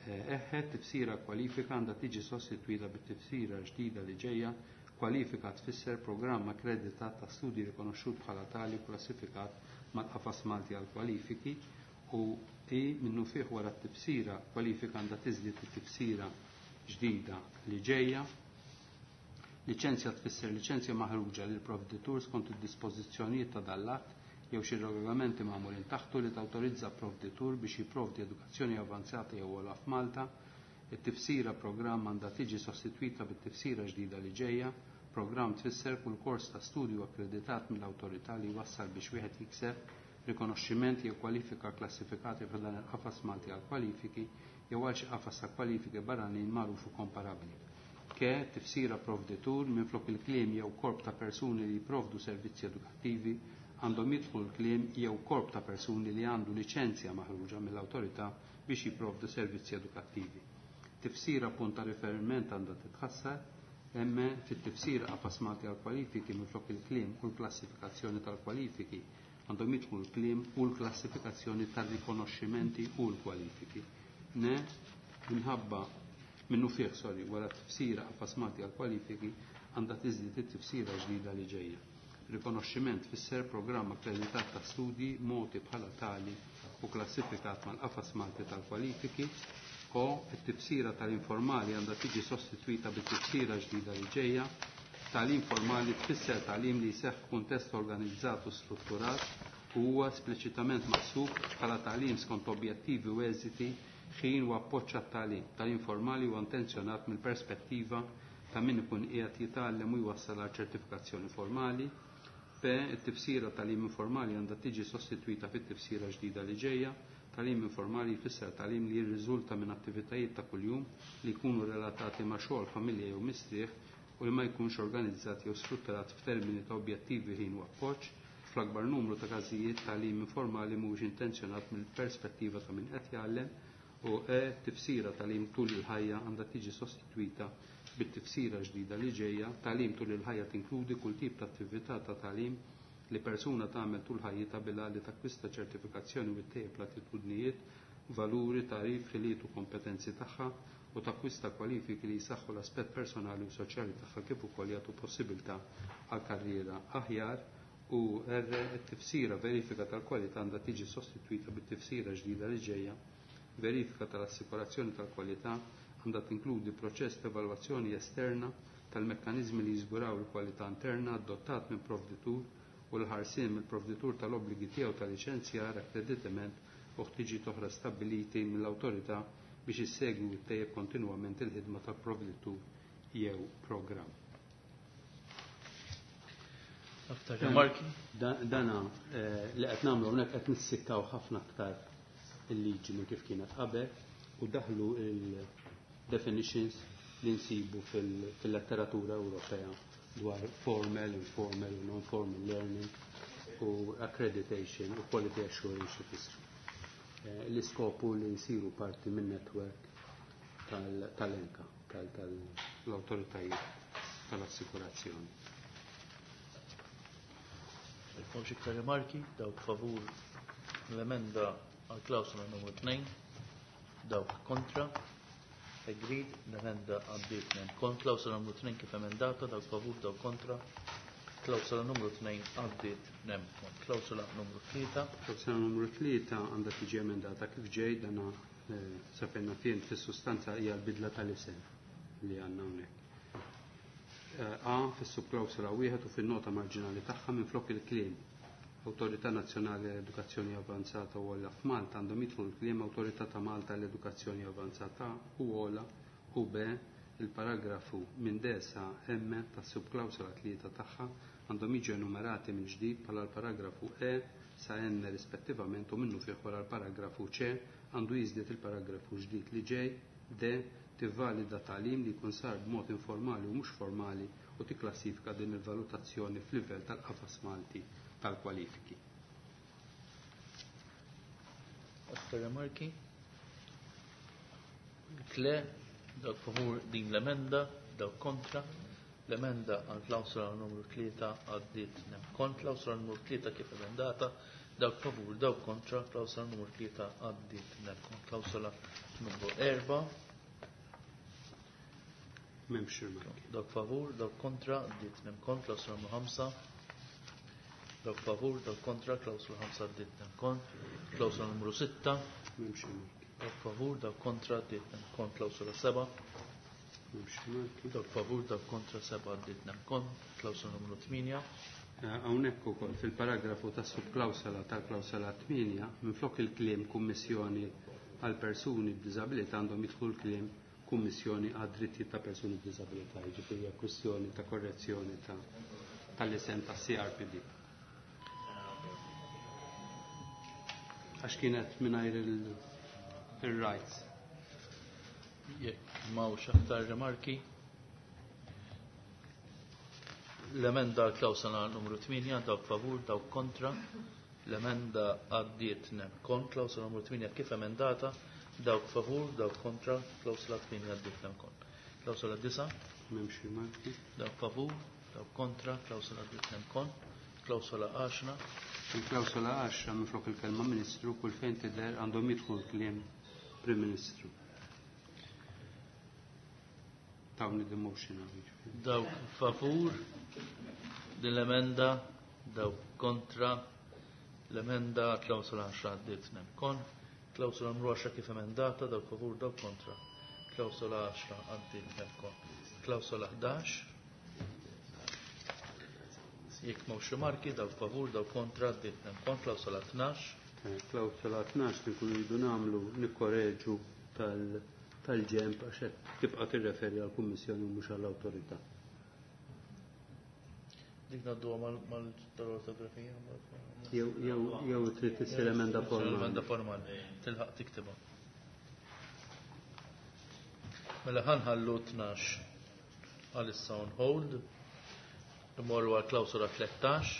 Eħe, tifsira kwalifika għandha tiġi sostitwita bit-tifsira ġdida li ġejja. Kwalifika tfisser programm akkreditat ta' studji rikonoxxut bħala tali u klassifikat mal-qafas Malti għal kwalifiki u i minnufih wara t-tifsira kwalifika għandha tiżdied it-tifsira ġdida li ġejja. Liċenzja tfisser liċenzja maħruġa lil provditur skont id-dispożizzjonijiet ta' dal-att jew xi regolamenti magħmulin taħtu li tawtorizza provditur biex jipprovdi edukazzjoni avanzata jew ogħla f'Malta. It-tifsira programm għandha tiġi sostitwita bit-tifsira ġdida li ġejja. Programm tfisser kull kors ta' studju akkreditat mill-awtorità li jwassal biex wieħed jikseb rikonoxximent jew kwalifika klassifikati f'dan il-qafas Malti għal kwalifiki jew għal xi qafas ta' kwalifiki barranin magħruf u komparabbli. Ke tifsira provditur minflok il-kliem jew korp ta' persuni li jipprovdu servizzi edukattivi għandhom jidħlu l-kliem jew korp ta' persuni li għandu liċenzja maħruġa mill-awtorità biex jipprovdu servizzi edukattivi. Tifsira punt ta' riferiment għandha titħassar, emme fit-tifsira qafas Malti għal kwalifiki minflok il-kliem u l-klassifikazzjoni tal-kwalifiki għandhom jidħlu l-kliem u l-klassifikazzjoni tar-rikonoxximenti u l-kwalifiki. Ne, minħabba minnu fih, sorry, wara t-tifsira qafas Malti għal kwalifiki għandha tiżdied it-tifsira ġdida li ġejja. Rikonoxximent tfisser programm akkreditat ta' studji mogħti bħala tali u klassifikat mal-qafas Malti tal-kwalifiki. O, it-tifsira tal-informali għandha tiġi sostitwita bit-tifsira ġdida li ġejja. Tagħlim formali tfisser tagħlim li jseħħ f'kuntest organizzat u strutturat u huwa espliċitament maħsub bħala tagħlim skont objettivi u eżiti, ħin u appoġġ għat-tagħlim. Tagħlim formali huwa intenzjonat mill-perspettiva ta' min ikun qiegħed jitgħallem u jwassal għal ċertifikazzjoni formali. P, it-tifsira tagħlim informali għandha tiġi sostitwita fit-tifsira ġdida li ġejja. Tagħlim informali jfisser tagħlim li jirriżulta minn attivitajiet ta' kuljum li jkunu relatati ma' xogħol, familja jew mistrieħ u li ma jkunx organizzat jew strutturat f'termini ta' objettivi, ħin u appoġġ. Fl-akbar numru ta' każijiet tagħlim informali mhuwiex intenzjonat mill-perspettiva ta' min qed jgħallem. U E, tifsira tagħlim tul il-ħajja għandha tiġi sostitwita bit-tifsira ġdida li ġejja. Tagħlim tul il-ħajja tinkludi kull tip ta' attività ta' tagħlim li persuna tagħmel tul ħajjitha bilha li takkwista ċertifikazzjoni u ttejjeb l-attitudnijiet, valuri, tagħrif, ħiliet u kompetenzi tagħha u takkwista kwalifiki li jsaħħu l-aspett personali u soċjali tagħha kif ukoll jagħtu possibilità għal karriera aħjar. U R, it-tifsira verifika tal-kwalità għandha tiġi sostitwita bit-tifsira ġdida li ġejja. Verifika tal-assikurazzjoni tal-kwalità għandha tinkludi proċess ta' evalwazzjoni esterna tal-mekkaniżmi li jiżguraw il-kwalità interna adottat minn provditur u l-ħarsien mill-provditur tal-obbligi tiegħu ta' liċenzjar, akkreditament u ħtiġijiet oħra stabbiliti mill-awtorità biex issegwi u ttejjeb kontinwament il-ħidma tal-provditur jew programm. Aktar rimarki? Dana li qed nagħmlu hawnhekk qed nissikkaw ħafna aktar il-liġi minn kif kienet qabel u daħlu il-definitions li nsibu fil-letteratura Ewropea dwar formal, informal u non-formal learning u accreditation u quality assurance xi fissru. L-iskopu li nsiru parti minn network tal-enka, tal-autoritajiet tal-assikurazzjoni. Jekk iktar rimarki, dawk favur l-emenda għal klawsola numru 2, dawk kontra, agreed, l-emenda għaddiet minn kon klawsola numru 2 kif emendata, dawk favur, dawk kontra, Klawsola numru 2 għaddiet nemkon. Klawsola numru 3. Klawsola numru 3 għandha tiġi emendata kif ġej dana sa fejn naf jien fis-sustanza hija l-bidla tal-isem li għandna hawnhekk. A fis-subklawsola wieħed u fin-nota marġinali tagħha minflok il-kliem Awtorità Nazzjonali għall-Edukazzjoni Avanzata u Għola f'Malta għandhom jidħlu l-kliem Awtorità ta' Malta għall-Edukazzjoni Avanzata u Għola u B il-paragrafu minn D sa M tas-subklawsola 3 tagħha għandhom jiġu enumerati mill-ġdid bħala l-paragrafu E sa N rispettivament u minnufih wara l-paragrafu C għandu jiżdied il-paragrafu ġdid li ġej D tivvalida tagħlim li jkun sar b'mod informali u mhux formali u tikklassifika din il-valutazzjoni f'livell tal-qafas Malti tal-kwalifiki. Aktar rimarki? Le, dawk favur din l-emenda, dawk kontra. L-emenda għal klawsola numru 3 għaddiet kont klawsola numru 3 kif emendata, dawk favur, dawk kontra, klawsola numru 3 għaddiet kont klawsola numru 4. M'hemmx rimarki. Dawk favur, dawk kontra, għaddiet kont klawsola numru 5. Dawk favur, dawk kontra, klawsola 5 għaddiet kont, klawsola numru 6. M'hemmx rimarki. Dawk favur, dawk kontra, għaddiet kont, klawsola 7. M'hemmx rimarki. Dawk favur, dawk kontra, 7 għaddiet kont, klawsola numru 8. Hawnhekk ukoll fil-paragrafu tas-subklawsola tal-klawsola 8 minflok il-kliem Kummissjoni għal persuni b'diżabilità għandhom jidħlu l-kliem Kummissjoni għad drittijiet ta' persuni b'diżabilità, jiġifieri hija kwistjoni ta' korrezzjoni tal-isem tas-CRPD. Għax kienet mingħajr il-rights. Jekk m'hawnx aktar rimarki. L-emenda klawsola numru 8, dawk favur, dawk kontra. L-emenda għaddiet kont, klawsola numru 8 kif emendata, dawk favur, dawk kontra, klawsola 8 għaddiet kont. Klawsola 9. M'hemmx rimarki. Dawk favur, dawk kontra, klawsola għaddiet kont. Klawsola 10. Il-klawsola 10 minflok il-kelma Ministru kull fejn tidher għandhom jidħlu l-kliem Prim Ministru. Tawni the motion għal. Dawk favur din l-emenda, dawk kontra l-emenda klawsola 10 għaddiet kon. Klawsola numru 10 kif emendata, dawk favur, dawk kontra. Klawsola 10 għaddiet kon. Klawsola 11. Jekk m'hawnx rimarki, dawk favur, dawk kontra, għaddiet kon. Klawsola 12. Klawsola 12 li nkunu rridu nagħmlu nikkoreġu tal-ġemp għax qed tibqa' tirreferi għall-Kummissjoni u mhux għall-awtorità. Dik ngħadduha mal-ortografija? Jew trid issir emenda formali. Emenda formali, tilħaq tiktibha. Mela ħanħallu 12 għalissa on hold. Imorru għal klawsola 13.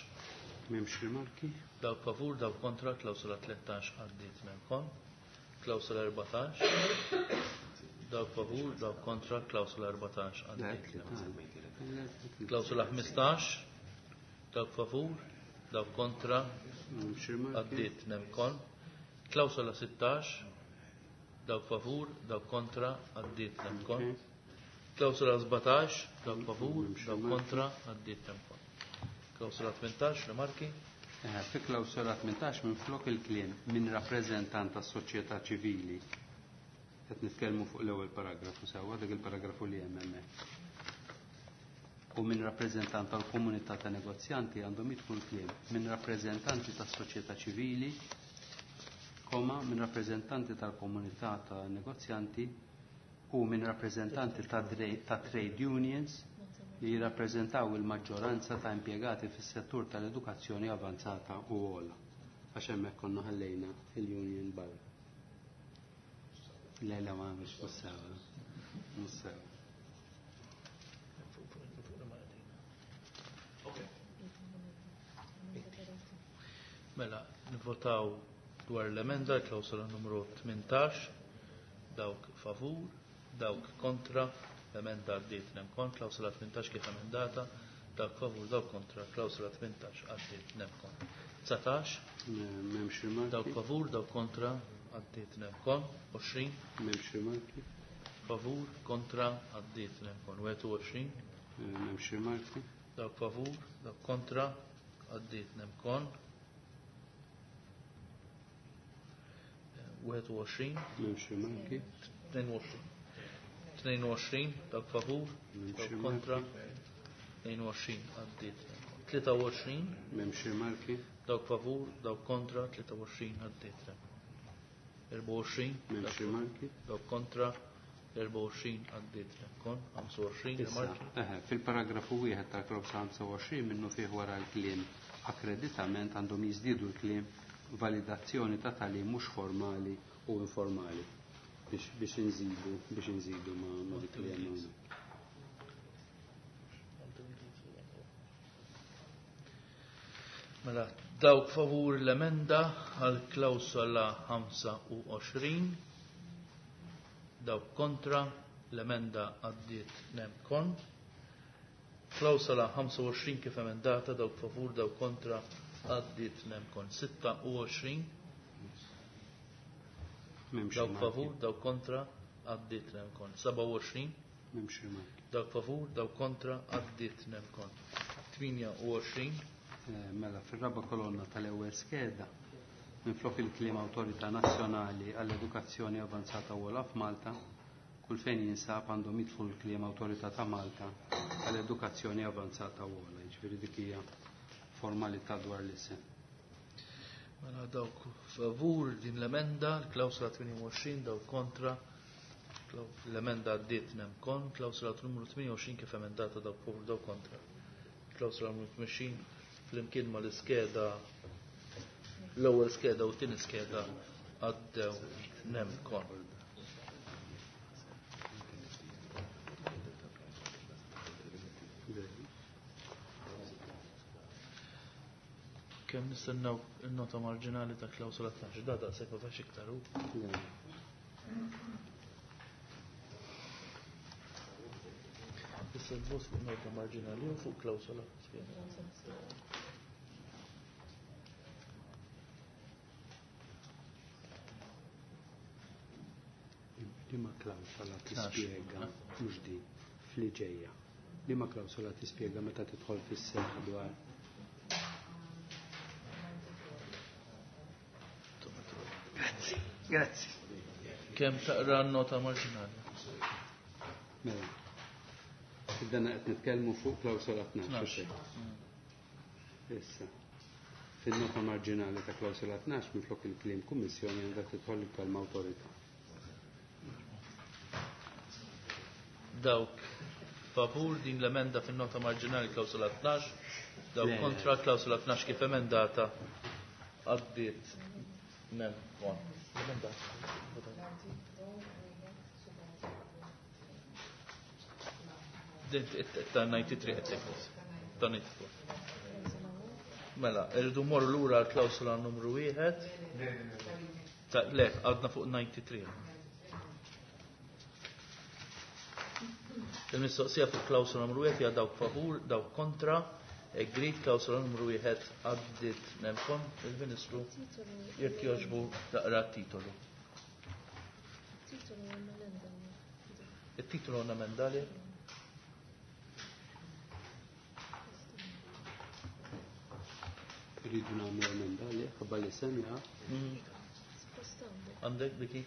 M'hemmx rimarki. Dawk favur, dawk kontra, klawsola 13 għaddiet minn kon. Klawsola 14. Dawk favur, dawk kontra, klawsola 14 għaddiet. Klawsola 15. Dawk favur, dawk kontra, għaddiet nemkon. Klawsola 16. Dawk favur, dawk kontra, għaddiet nemkon. Klawsola 17, dawk favur, dawk kontra, għaddiet nemkon. Klawsola 18, rimarki? Fi klawsola 18 minflok il-kliem minn rappreżentant tas-soċjetà ċivili. Qed nitkellmu fuq l-ewwel paragrafu sewwa, dik il-paragrafu li hemm hemmhekk. U minn rappreżentant tal-komunità ta' negozjanti għandhom jidħlu l-kliem minn rappreżentanti tas-soċjetà ċivili, koma minn rappreżentanti tal-komunità ta' negozjanti u minn rappreżentanti ta' trade unions li jirrappreżentaw il-maġġoranza ta' impjegati fis-settur tal-edukazzjoni avanzata u ogħla. Għax hemmhekk konna ħallejna il-union barra. Le, le, ma mhux sewa. Mhux sewa. Mela, nivvotaw dwar l-emenda, klawsola numru 18, dawk favur, dawk kontra, l-emenda għaddiet nemkon, klawsola 18 kif emendata, dawk favur, dawk kontra, klawsola 18 għaddiet nemkon. 19, M'hemmx rimarki. Dawk favur, dawk kontra, għaddiet nemkon, 20, M'hemmx rimarki. Favur, kontra, għaddiet nemkon, 21, M'hemmx rimarki. Dawk favur, dawk kontra, għaddiet nemkon. 21. M'hemmx rimarki. 22. 22, dawk favur, dawk kontra, 22 għaddiet. 23. M'hemmx rimarki. Dawk favur, dawk kontra, 23 għaddiet. 24. M'hemmx rimarki. Dawk kontra, 24 għaddiet. Kon, 25 rimarki. Fil-paragrafu wieħed tal-klawsola 25 minnu fih wara l-kliem akkreditament għandhom jiżdiedu l-kliem validazzjoni ta' tagħlim mhux formali u informali biex inżidu biex inżidu ma' dik li hemm hawnhekk. Mela, dawk favur l-emenda għal klawsola 25, dawk kontra l-emenda għaddiet nemkon. Klawsola 25 kif emendata, dawk favur, dawk kontra għaddiet nemkon. 26, M'hemmx dawk rimarki. favur, dawk kontra għaddiet nemkon. 27, M'hemmx rimarki. dawk favur, dawk kontra għaddiet nemkon. 28, Mela, fir-raba kolonna tal-ewwel skeda, minflok il-kliem Awtorità Nazzjonali għall-Edukazzjoni Avanzata u Ogħla f'Malta, kull fejn jinsab għandhom jidħlu l-kliem Awtorità ta' Malta għall-Edukazzjoni Avanzata u Ogħla. Jiġifieri dik hija formalità dwar l-isem. Mela dawk favur din l-emenda, l-klawsola 28, dawk kontra, l-emenda għaddiet nemkon, klawsola numru 28 kif emendata dawk favur dawk kontra. Klawsola numru 28 flimkien ma l-iskeda, l-ewwel skeda u t-tieni skeda għaddew nemkon. Kemm nistennew in-nota marġinali ta' klawsola 12, da daqshekk ma fax iktar hu. Issa l-vot fuq nota marġinali u fuq klawsola. Liema klawsola tispjega mhux din fli ġejja. Liema klawsola tispjega meta tidħol fis-seħħ dwar Grazzi, grazzi. Kemm taqra n-nota marġinali? Mela. Dan qed nitkellmu fuq klawsola 12. 12. Issa. Fin-nota marġinali ta' klawsola 12 minflok il-kliem kummissjoni għandha tidħol il-kelma awtorità. Dawk favur din l-emenda fin-nota marġinali klawsola 12, dawk Le. kontra klawsola 12 kif emendata għaddiet nemkon. Din ta' 93 qed tgħid. Ta' 94. Mela, irridu morru lura għal klawsola numru 1. Ta' le, għadna fuq 93. Il-mistoqsija fuq klawsola numru 1 hija dawk favur, dawk kontra, agreed klawsola numru 1 għaddiet nemkon, il-Ministru jekk jogħġbu taqra t-titolu. Titolu għandna Il-titolu għandna emendali? Irridu nagħmlu emendali ħabba li semja. Suppost għandek. Għandek Viki?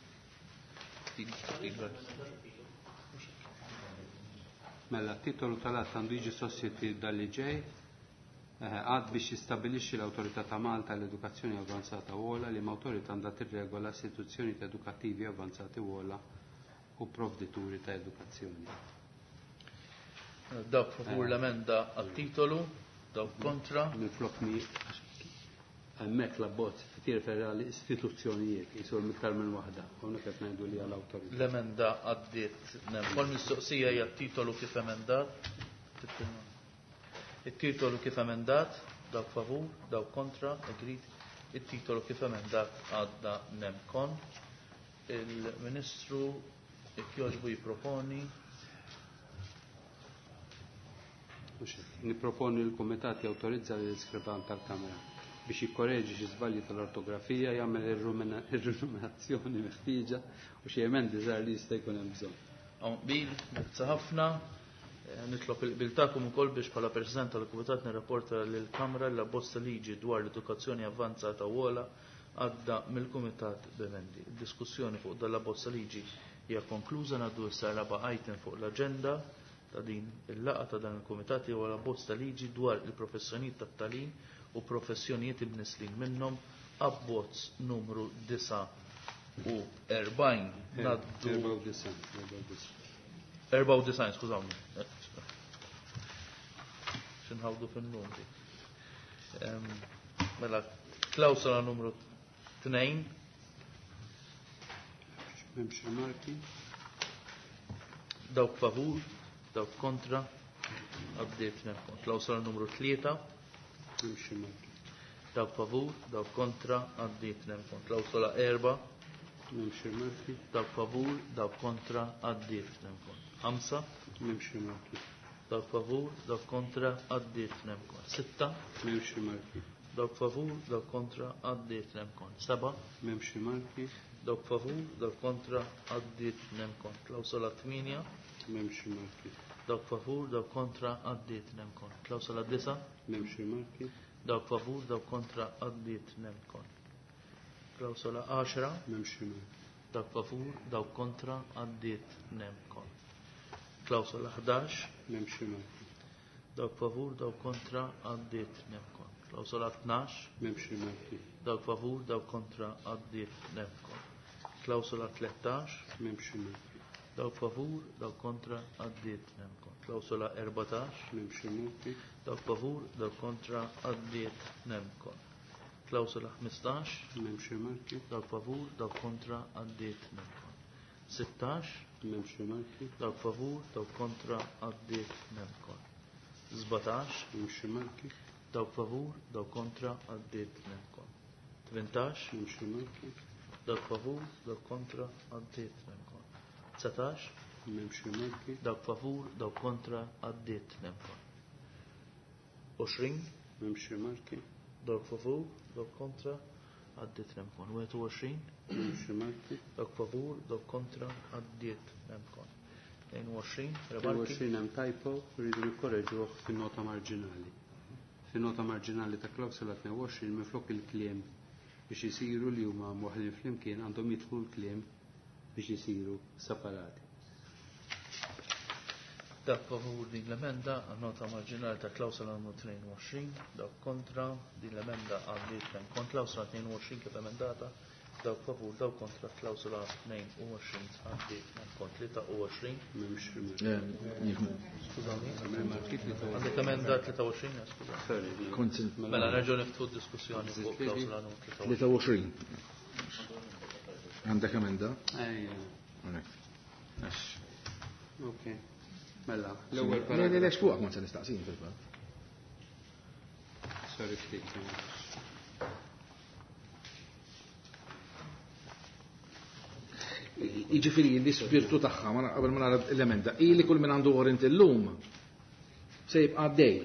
Mela, titolu tal-att għandu jiġi sostituit dal-li ġej. Għad biex jistabilixxi l-Awtorità ta' Malta l-Edukazzjoni Avanzata u Ogħla li ma' awtorità għandha tirregola istituzzjoni edukattivi avanzati u ogħla u provdituri ta' edukazzjoni. Dawk favur l-emenda għat-titolu, dawk kontra. Minflok mi hemmhekk l-abbozz tirreferi għal istituzzjonijiet jisu iktar minn waħda. Hawnhekk qed ngħidu li għal awtorità. L-emenda għaddiet. Kol mistoqsija hija t-titolu kif emendat. Il-titolu kif emendat, dawk favur, dawk kontra, agreed. Il-titolu kif emendat għadda nemkon. Il-Ministru jekk jogħġbu jipproponi. Niproponi l-Kumitat jawtorizza l-iskriban tal-Kamra biex jikkoreġi xi żbalji tal-ortografija, jagħmel ir-ruminazzjoni meħtieġa u xi emendi żgħar li jista' jkun hemm bżonn. Hawn qbil, grazzi ħafna. Nitlob il-qbil tagħkom ukoll biex bħala President tal-Kumitat nirrapporta lill-Kamra li l-abbozz ta' liġi dwar l-edukazzjoni avvanzata u ogħla għadda mill-Kumitat b'emendi. Id-diskussjoni fuq dan l-abbozz ta' liġi hija konkluża. Ngħaddu issa raba' item fuq l-aġenda ta' din il-laqgħa ta' dan il-Kumitat li huwa l-abbozz ta' liġi dwar il-professjonijiet tat-tagħlim u professjonijiet imnisslin minnhom, abbozz numru 49. Ngħaddu 94. 94, skużawni. Xinħawdu fin-numri. Mela, klawsola numru 2. M'hemmx rimarki. Dawk favur, dawk kontra, għaddiet nemkon. Klawsola numru 3. M'hemmx rimarki. Dawk favur, dawk kontra, għaddiet nemkon. Klawsola 4. M'hemmx rimarki. Dawk favur, dawk kontra, għaddiet nemkon. 5. M'hemmx rimarki. Dawk favur, dawk kontra, għaddiet nemkon. 6. M'hemmx rimarki. Dawk favur, dawk kontra, għaddiet nemkon. 7. M'hemmx rimarki. Dawk favur, dawk kontra, għaddiet nemkon. Klawsola 8. M'hemmx rimarki. Dawk favur, dawk kontra, għaddiet nemkon. Klawsola 9. M'hemmx rimarki. Dawk favur, dawk kontra, għaddiet nemkon. Klawsola 10. M'hemmx rimarki. Dawk favur, dawk kontra, għaddiet nemkon. Klawsola 11. M'hemmx rimarki. Dawk favur, dawk kontra, għaddiet nemkon. Klawsola 12. M'hemmx rimarki. Dawk favur, dawk kontra, għaddiet nemkon. Klawsola 13. M'hemmx rimarki. Dawk favur, dawk kontra, għaddiet nemkon. Klawsola 14. M'hemmx rimarki. Dawk favur, dawk kontra, għaddiet nemkon. Klawsola 15. M'hemmx rimarki. Dawk favur, dawk kontra, għaddiet nemkon. 16. M'hemmx rimarki. Dawk favur, dawk kontra, għaddiet nemkon. 17. M'hemmx rimarki. Dawk favur, dawk kontra, għaddiet nemkon. 18. M'hemmx rimarki. Dawk favur, dawk kontra, għaddiet nemkon. 19. M'hemmx rimarki. Dawk favur, dawk kontra, għaddiet nemkon. 20. M'hemmx rimarki. Dawk favur, dawk kontra, għaddiet nemkon. 21. M'hemmx rimarki. Dawk favur, dawk kontra, għaddiet nemkon. 22. Rimarki. 22 hemm typo, rridu nikkoreġuh fin-nota marġinali. Fin-nota marġinali ta' klawsola 22 minflok il-kliem biex isiru li huma mwaħħlin flimkien għandhom jidħlu l-kliem biex isiru separati. Dak favur din l-emenda għan-nota marġinali ta' klawsola numru 22, dak kontra din l-emenda għaddiet kemm kont klawsola 22 kif emendata, dak favur, dak kontra klawsola 22 għaddiet kemm kont 23. M'hemmx rimarki. Skużani. Rimarki 23. Għandek emenda 23, ja, skużani. Sorry. Kont Mela nerġgħu niftħu d-diskussjoni fuq klawsola numru 23. 23. Għandek emenda? Ejja. Hawnhekk. Għax. Ok. Mela, l-ewwel Le, le, paragrafu. le, x'fuqek ma se nistaqsin fil-fatt. Sorry ftit. Jiġifieri l-ispirtu tagħha ma qabel ma nara l-emenda, ili kull min għandu warrant illum se jibqa' għaddej.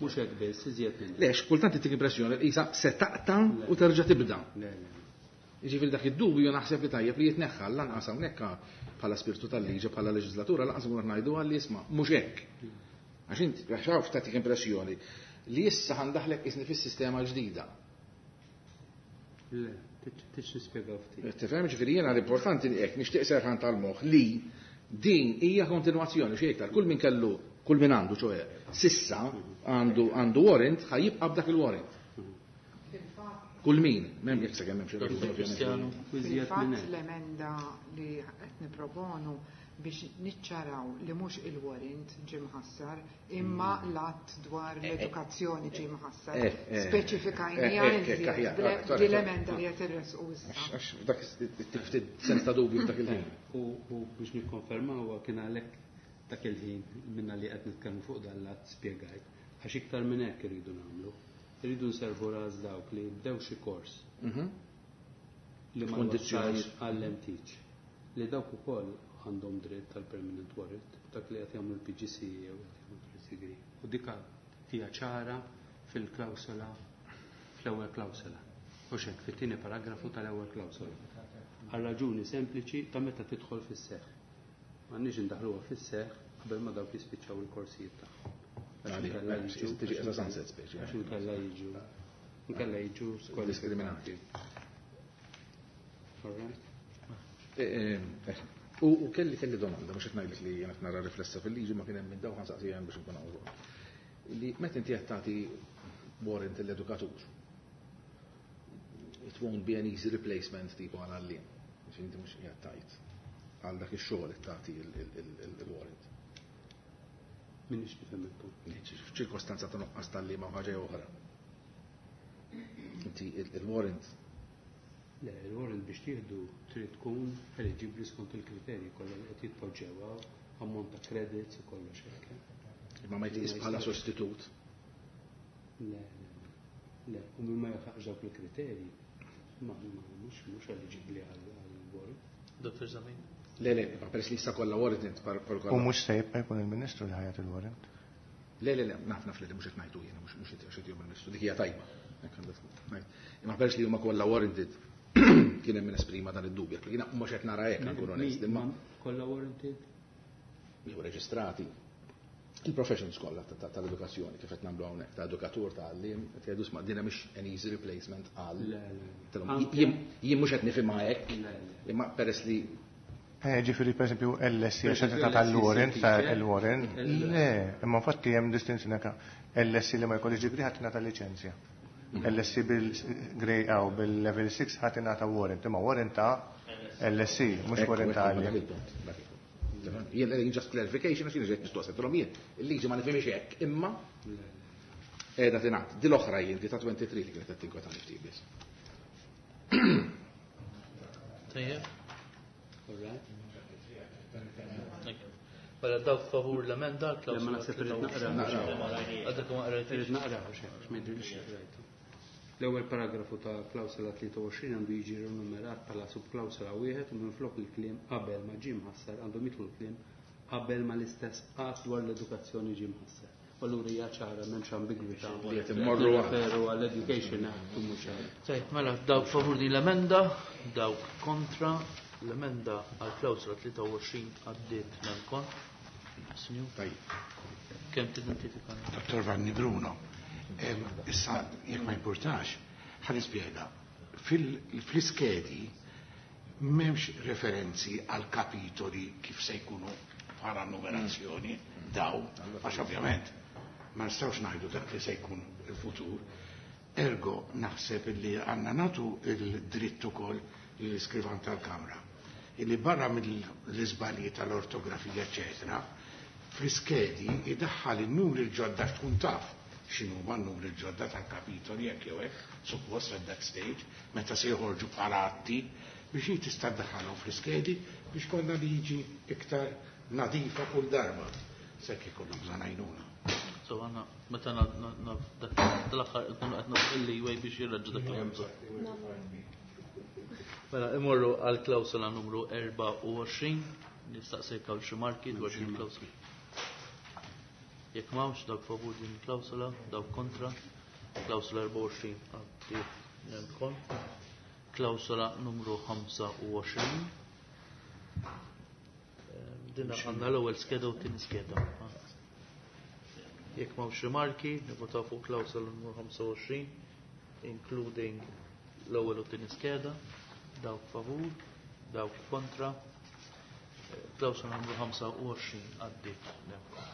Mhux hekk biss, iżjed minn hekk. Lex, kultant ittik impressjoni li qisha se taqta' u terġa' tibda. Le, le. Jiġifieri dak id-dubju naħseb li tajjeb li jitneħħa lanqas hawnhekk bħala spirtu tal-liġi bħala leġislatura lanqas nkunu ngħidu għalli isma' mhux hekk. Għax inti għax hawn tagħtik impressjoni li issa ħandaħlek isni fis-sistema ġdida. Le, tix nispjegaw ftit. Tifhem ġifieri jiena l-importanti li hekk nixtieq serħan tal-moħħ li din hija kontinwazzjoni xi iktar kull min kellu kull min għandu ċoe sissa għandu għandu warrant ħa jibqa' b'dak il-warrant. Kull min, m'hemm jekk sakemm hemm xi Dr. raġuni, ovvjament. Cristiano. U iżjed minn Fil-fatt hekk. l-emenda li qed niproponu biex niċċaraw li mhux il-warrant ġie mħassar, imma l-att dwar l-edukazzjoni ġie mħassar. Speċifikajniha iżjed aħjar, din l-emenda li qed irresqu issa. Għax dak ftit sens ta' dubju f'dak il-ħin. U biex nikkonfermaw huwa kien għalhekk dak il-ħin minna li qed nitkellmu fuq dan l-att spjegajt. Għax iktar minn hekk irridu nagħmlu. Irridu nservu ras dawk li bdew xi kors li ma Kondizzjonijiet. wassalx għall-MTeach. Li dawk ukoll għandhom dritt tal-permanent warrant, dak li qed jagħmlu l-PGC jew qed jagħmlu first degree. U dik hija ċara fil-klawsola, fl-ewwel klawsola. U xek, fit-tieni paragrafu tal-ewwel klawsola. Għal raġuni sempliċi ta' meta tidħol fis-seħħ. M'għandniex indaħluha fis-seħħ Qabel ma dawk jispiċċaw il-korsijiet tagħhom. Tiġi as a sunset speċi. Għax inkella jiġu inkella jiġu diskriminati. U kelli kelli domanda, mhux qed ngħidlek li jiena nara riflessa fil-liġi ma kien hemm minn dawn ħansaqsi hemm biex nkun hawn. Li meta inti qed tagħti warrant l-edukatur, it won't be an easy replacement tipo għal għalliem. Biex inti mhux qiegħed tajt għal dak ix-xogħol qed tagħti il-warrant. Minix nifhem il-punt. F'ċirkostanza ta' nuqqas tal-liema ħaġa oħra. Inti il-warrant. Le, il-warrant biex tieħdu trid tkun eligibbli skont il-kriterji kollha li qed jitpoġġew ammont ta' credits u kollox hekk. Imma ma jitqis bħala sostitut. Le, le, u min ma jilħaqx dawk il-kriterji ma mhux eligibbli għal-warrant. Dr. Zamin. Le, le, ma peress li issa kollha warrant par U mhux se jibqa' jkun il-Ministru li ħajat il-warrant. Le, le, le, naf naf li mhux qed ngħidu jiena, mhux qed jgħidu il-Ministru, dik hija tajba. Hekk għandha tkun. Imma peress li huma kollha warranted kien hemm min esprima dan id-dubju. Jiena mhux qed nara hekk nkun onest, imma kollha warranted? Jew reġistrati. Il-professions kollha tal-edukazzjoni kif qed nagħmlu hawnhekk, ta' edukatur, ta' għalliem, qed jgħidu sma' din mhix an easy replacement għal. Jien mhux qed nifhimha hekk, imma peress li Ġifieri per esempio LSE għax qed tagħta l-warrant ta' l-warrant. Le, imma infatti hemm distinzjoni hekk. LSE li ma jkollix degree ħadd tingħata liċenzja. LSE bil-grade A u bil-level 6 ħadd tingħata warrant, imma warrant ta' LSE, mhux warrant ta' għalliem. Jien just clarification għax jien ġejt mistoqsija, tilhom jien il-liġi ma nifhimx hekk, imma qiegħda tingħad. Di l-oħra jien di ta' 23 li kienet qed tinkwetani ftit biss. Tajjeb. Mela dawk favur l-emenda, Le, ma naħseb irrid naqra. Għadek ma qrajtix. Irrid naqra, għax ma jidhirlix li qrajtu. L-ewwel paragrafu ta' klawsola 23 għandu jiġi rinumerat bħala subklawsola wieħed u minflok il-kliem qabel ma ġie mħassar għandhom jidħlu l-kliem qabel ma l-istess att dwar l-edukazzjoni ġie mħassar. U allura hija ċara m'hemmx ambigwità. Li qed immorru għal. Referu għall-Education Act u mhux għal. Tajjeb, mela dawk favur din l-emenda, dawk kontra l-emenda għal klawsola 23 għaddiet nemkon. Sinjur? Tajjeb. Kemm tidentifika? Dottor Vanni Bruno, issa jekk ma jimpurtax, ħa nispjega. Fl-iskedi m'hemmx referenzi għal kapitoli kif se jkunu bħala numerazzjoni daw, għax ovvjament ma nistgħux ngħidu dak li se jkun il-futur. Ergo naħseb illi għandna nagħtu il-dritt ukoll lill-iskrivan tal-Kamra illi barra mill-iżbalji tal-ortografija eċetera, fl-iskedi idaħħal in-numri l-ġodda tkun taf x'inhuma n-numri l-ġodda tal-kapitoli jekk jew hekk, suppost at that stage, meta se joħorġu bħala atti, biex hi tista' ddaħħalhom fl-iskedi biex konna liġi iktar nadifa kull darba. Sekk ikollhom bżonn għajnuna. So għandna meta dak tal-aħħar ikunu qed nagħtu il-leeway biex jirraġġu dak li hemm bżonn. Mela imorru għal klawsola numru 24, nistaqsejk għal xi marki dwar din il-klawsola. Jekk m'hawnx dawk favur din il-klawsola, dawk kontra, klawsola 24 għaddiet nemkon. Klawsola numru 25. Dinna għandna l-ewwel skeda u t-tieni skeda. Jekk m'hawnx rimarki, nivvotaw fuq klawsola numru 25, including l-ewwel u t-tieni skeda. Dawk favur, dawk kontra. Klawsola numru 25 għaddiet nemkon.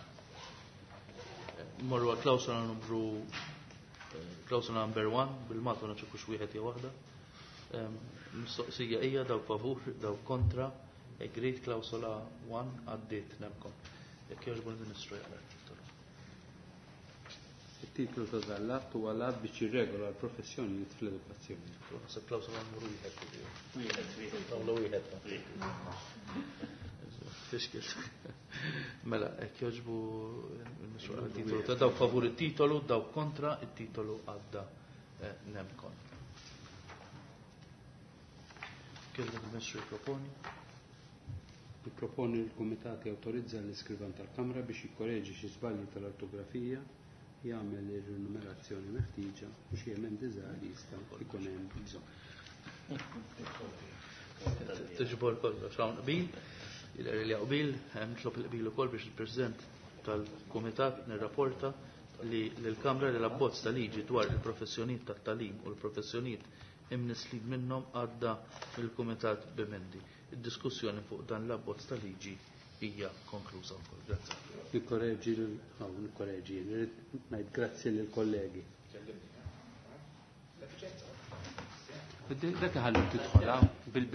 Morru għal klawsola numru klawsola number 1, bil-Malta ma nafx wieħed jew waħda. Mistoqsija hija dawk favur, dawk kontra, agreed klawsola 1 għaddiet nemkom. Jekk jogħġbu l-Ministru jaqra t-titolu. Il-titlu ta' dan l-att huwa l-att biex jirregola l-professjonijiet fl-edukazzjoni. Naħseb klawsola numru wieħed. Wieħed, wieħed, nagħmlu wieħed. Fixkil. Mela, jekk jogħġbu il-Ministru jaqra t-titolu ta' dawk favur it-titolu, dawk kontra, it-titolu għadda nemkon. Kif il-Ministru jipproponi? Jipproponi l-Kumitat jawtorizza l-iskrivan tal-Kamra biex jikkoreġi xi żbalji tal-ortografija, jagħmel ir-rinumerazzjoni meħtieġa u xi emendi żgħar li jista' jkun hemm bżonn. Tiġbor kollox hawn qbil. Jidher li qbil, nitlob il-qbil ukoll biex il-President tal-Kumitat nirrapporta li l-Kamra li l-abbozz ta' liġi dwar il-professjonijiet tat-tagħlim u l-professjonijiet imnislin minnhom għadda mill-Kumitat b'emendi. Id-diskussjoni fuq dan l-abbozz ta' liġi hija konkluża wkoll. Grazzi. Nikkoreġi nikkoreġi, nrid ngħid grazzi lill-kollegi. Dak iħallu tidħol bil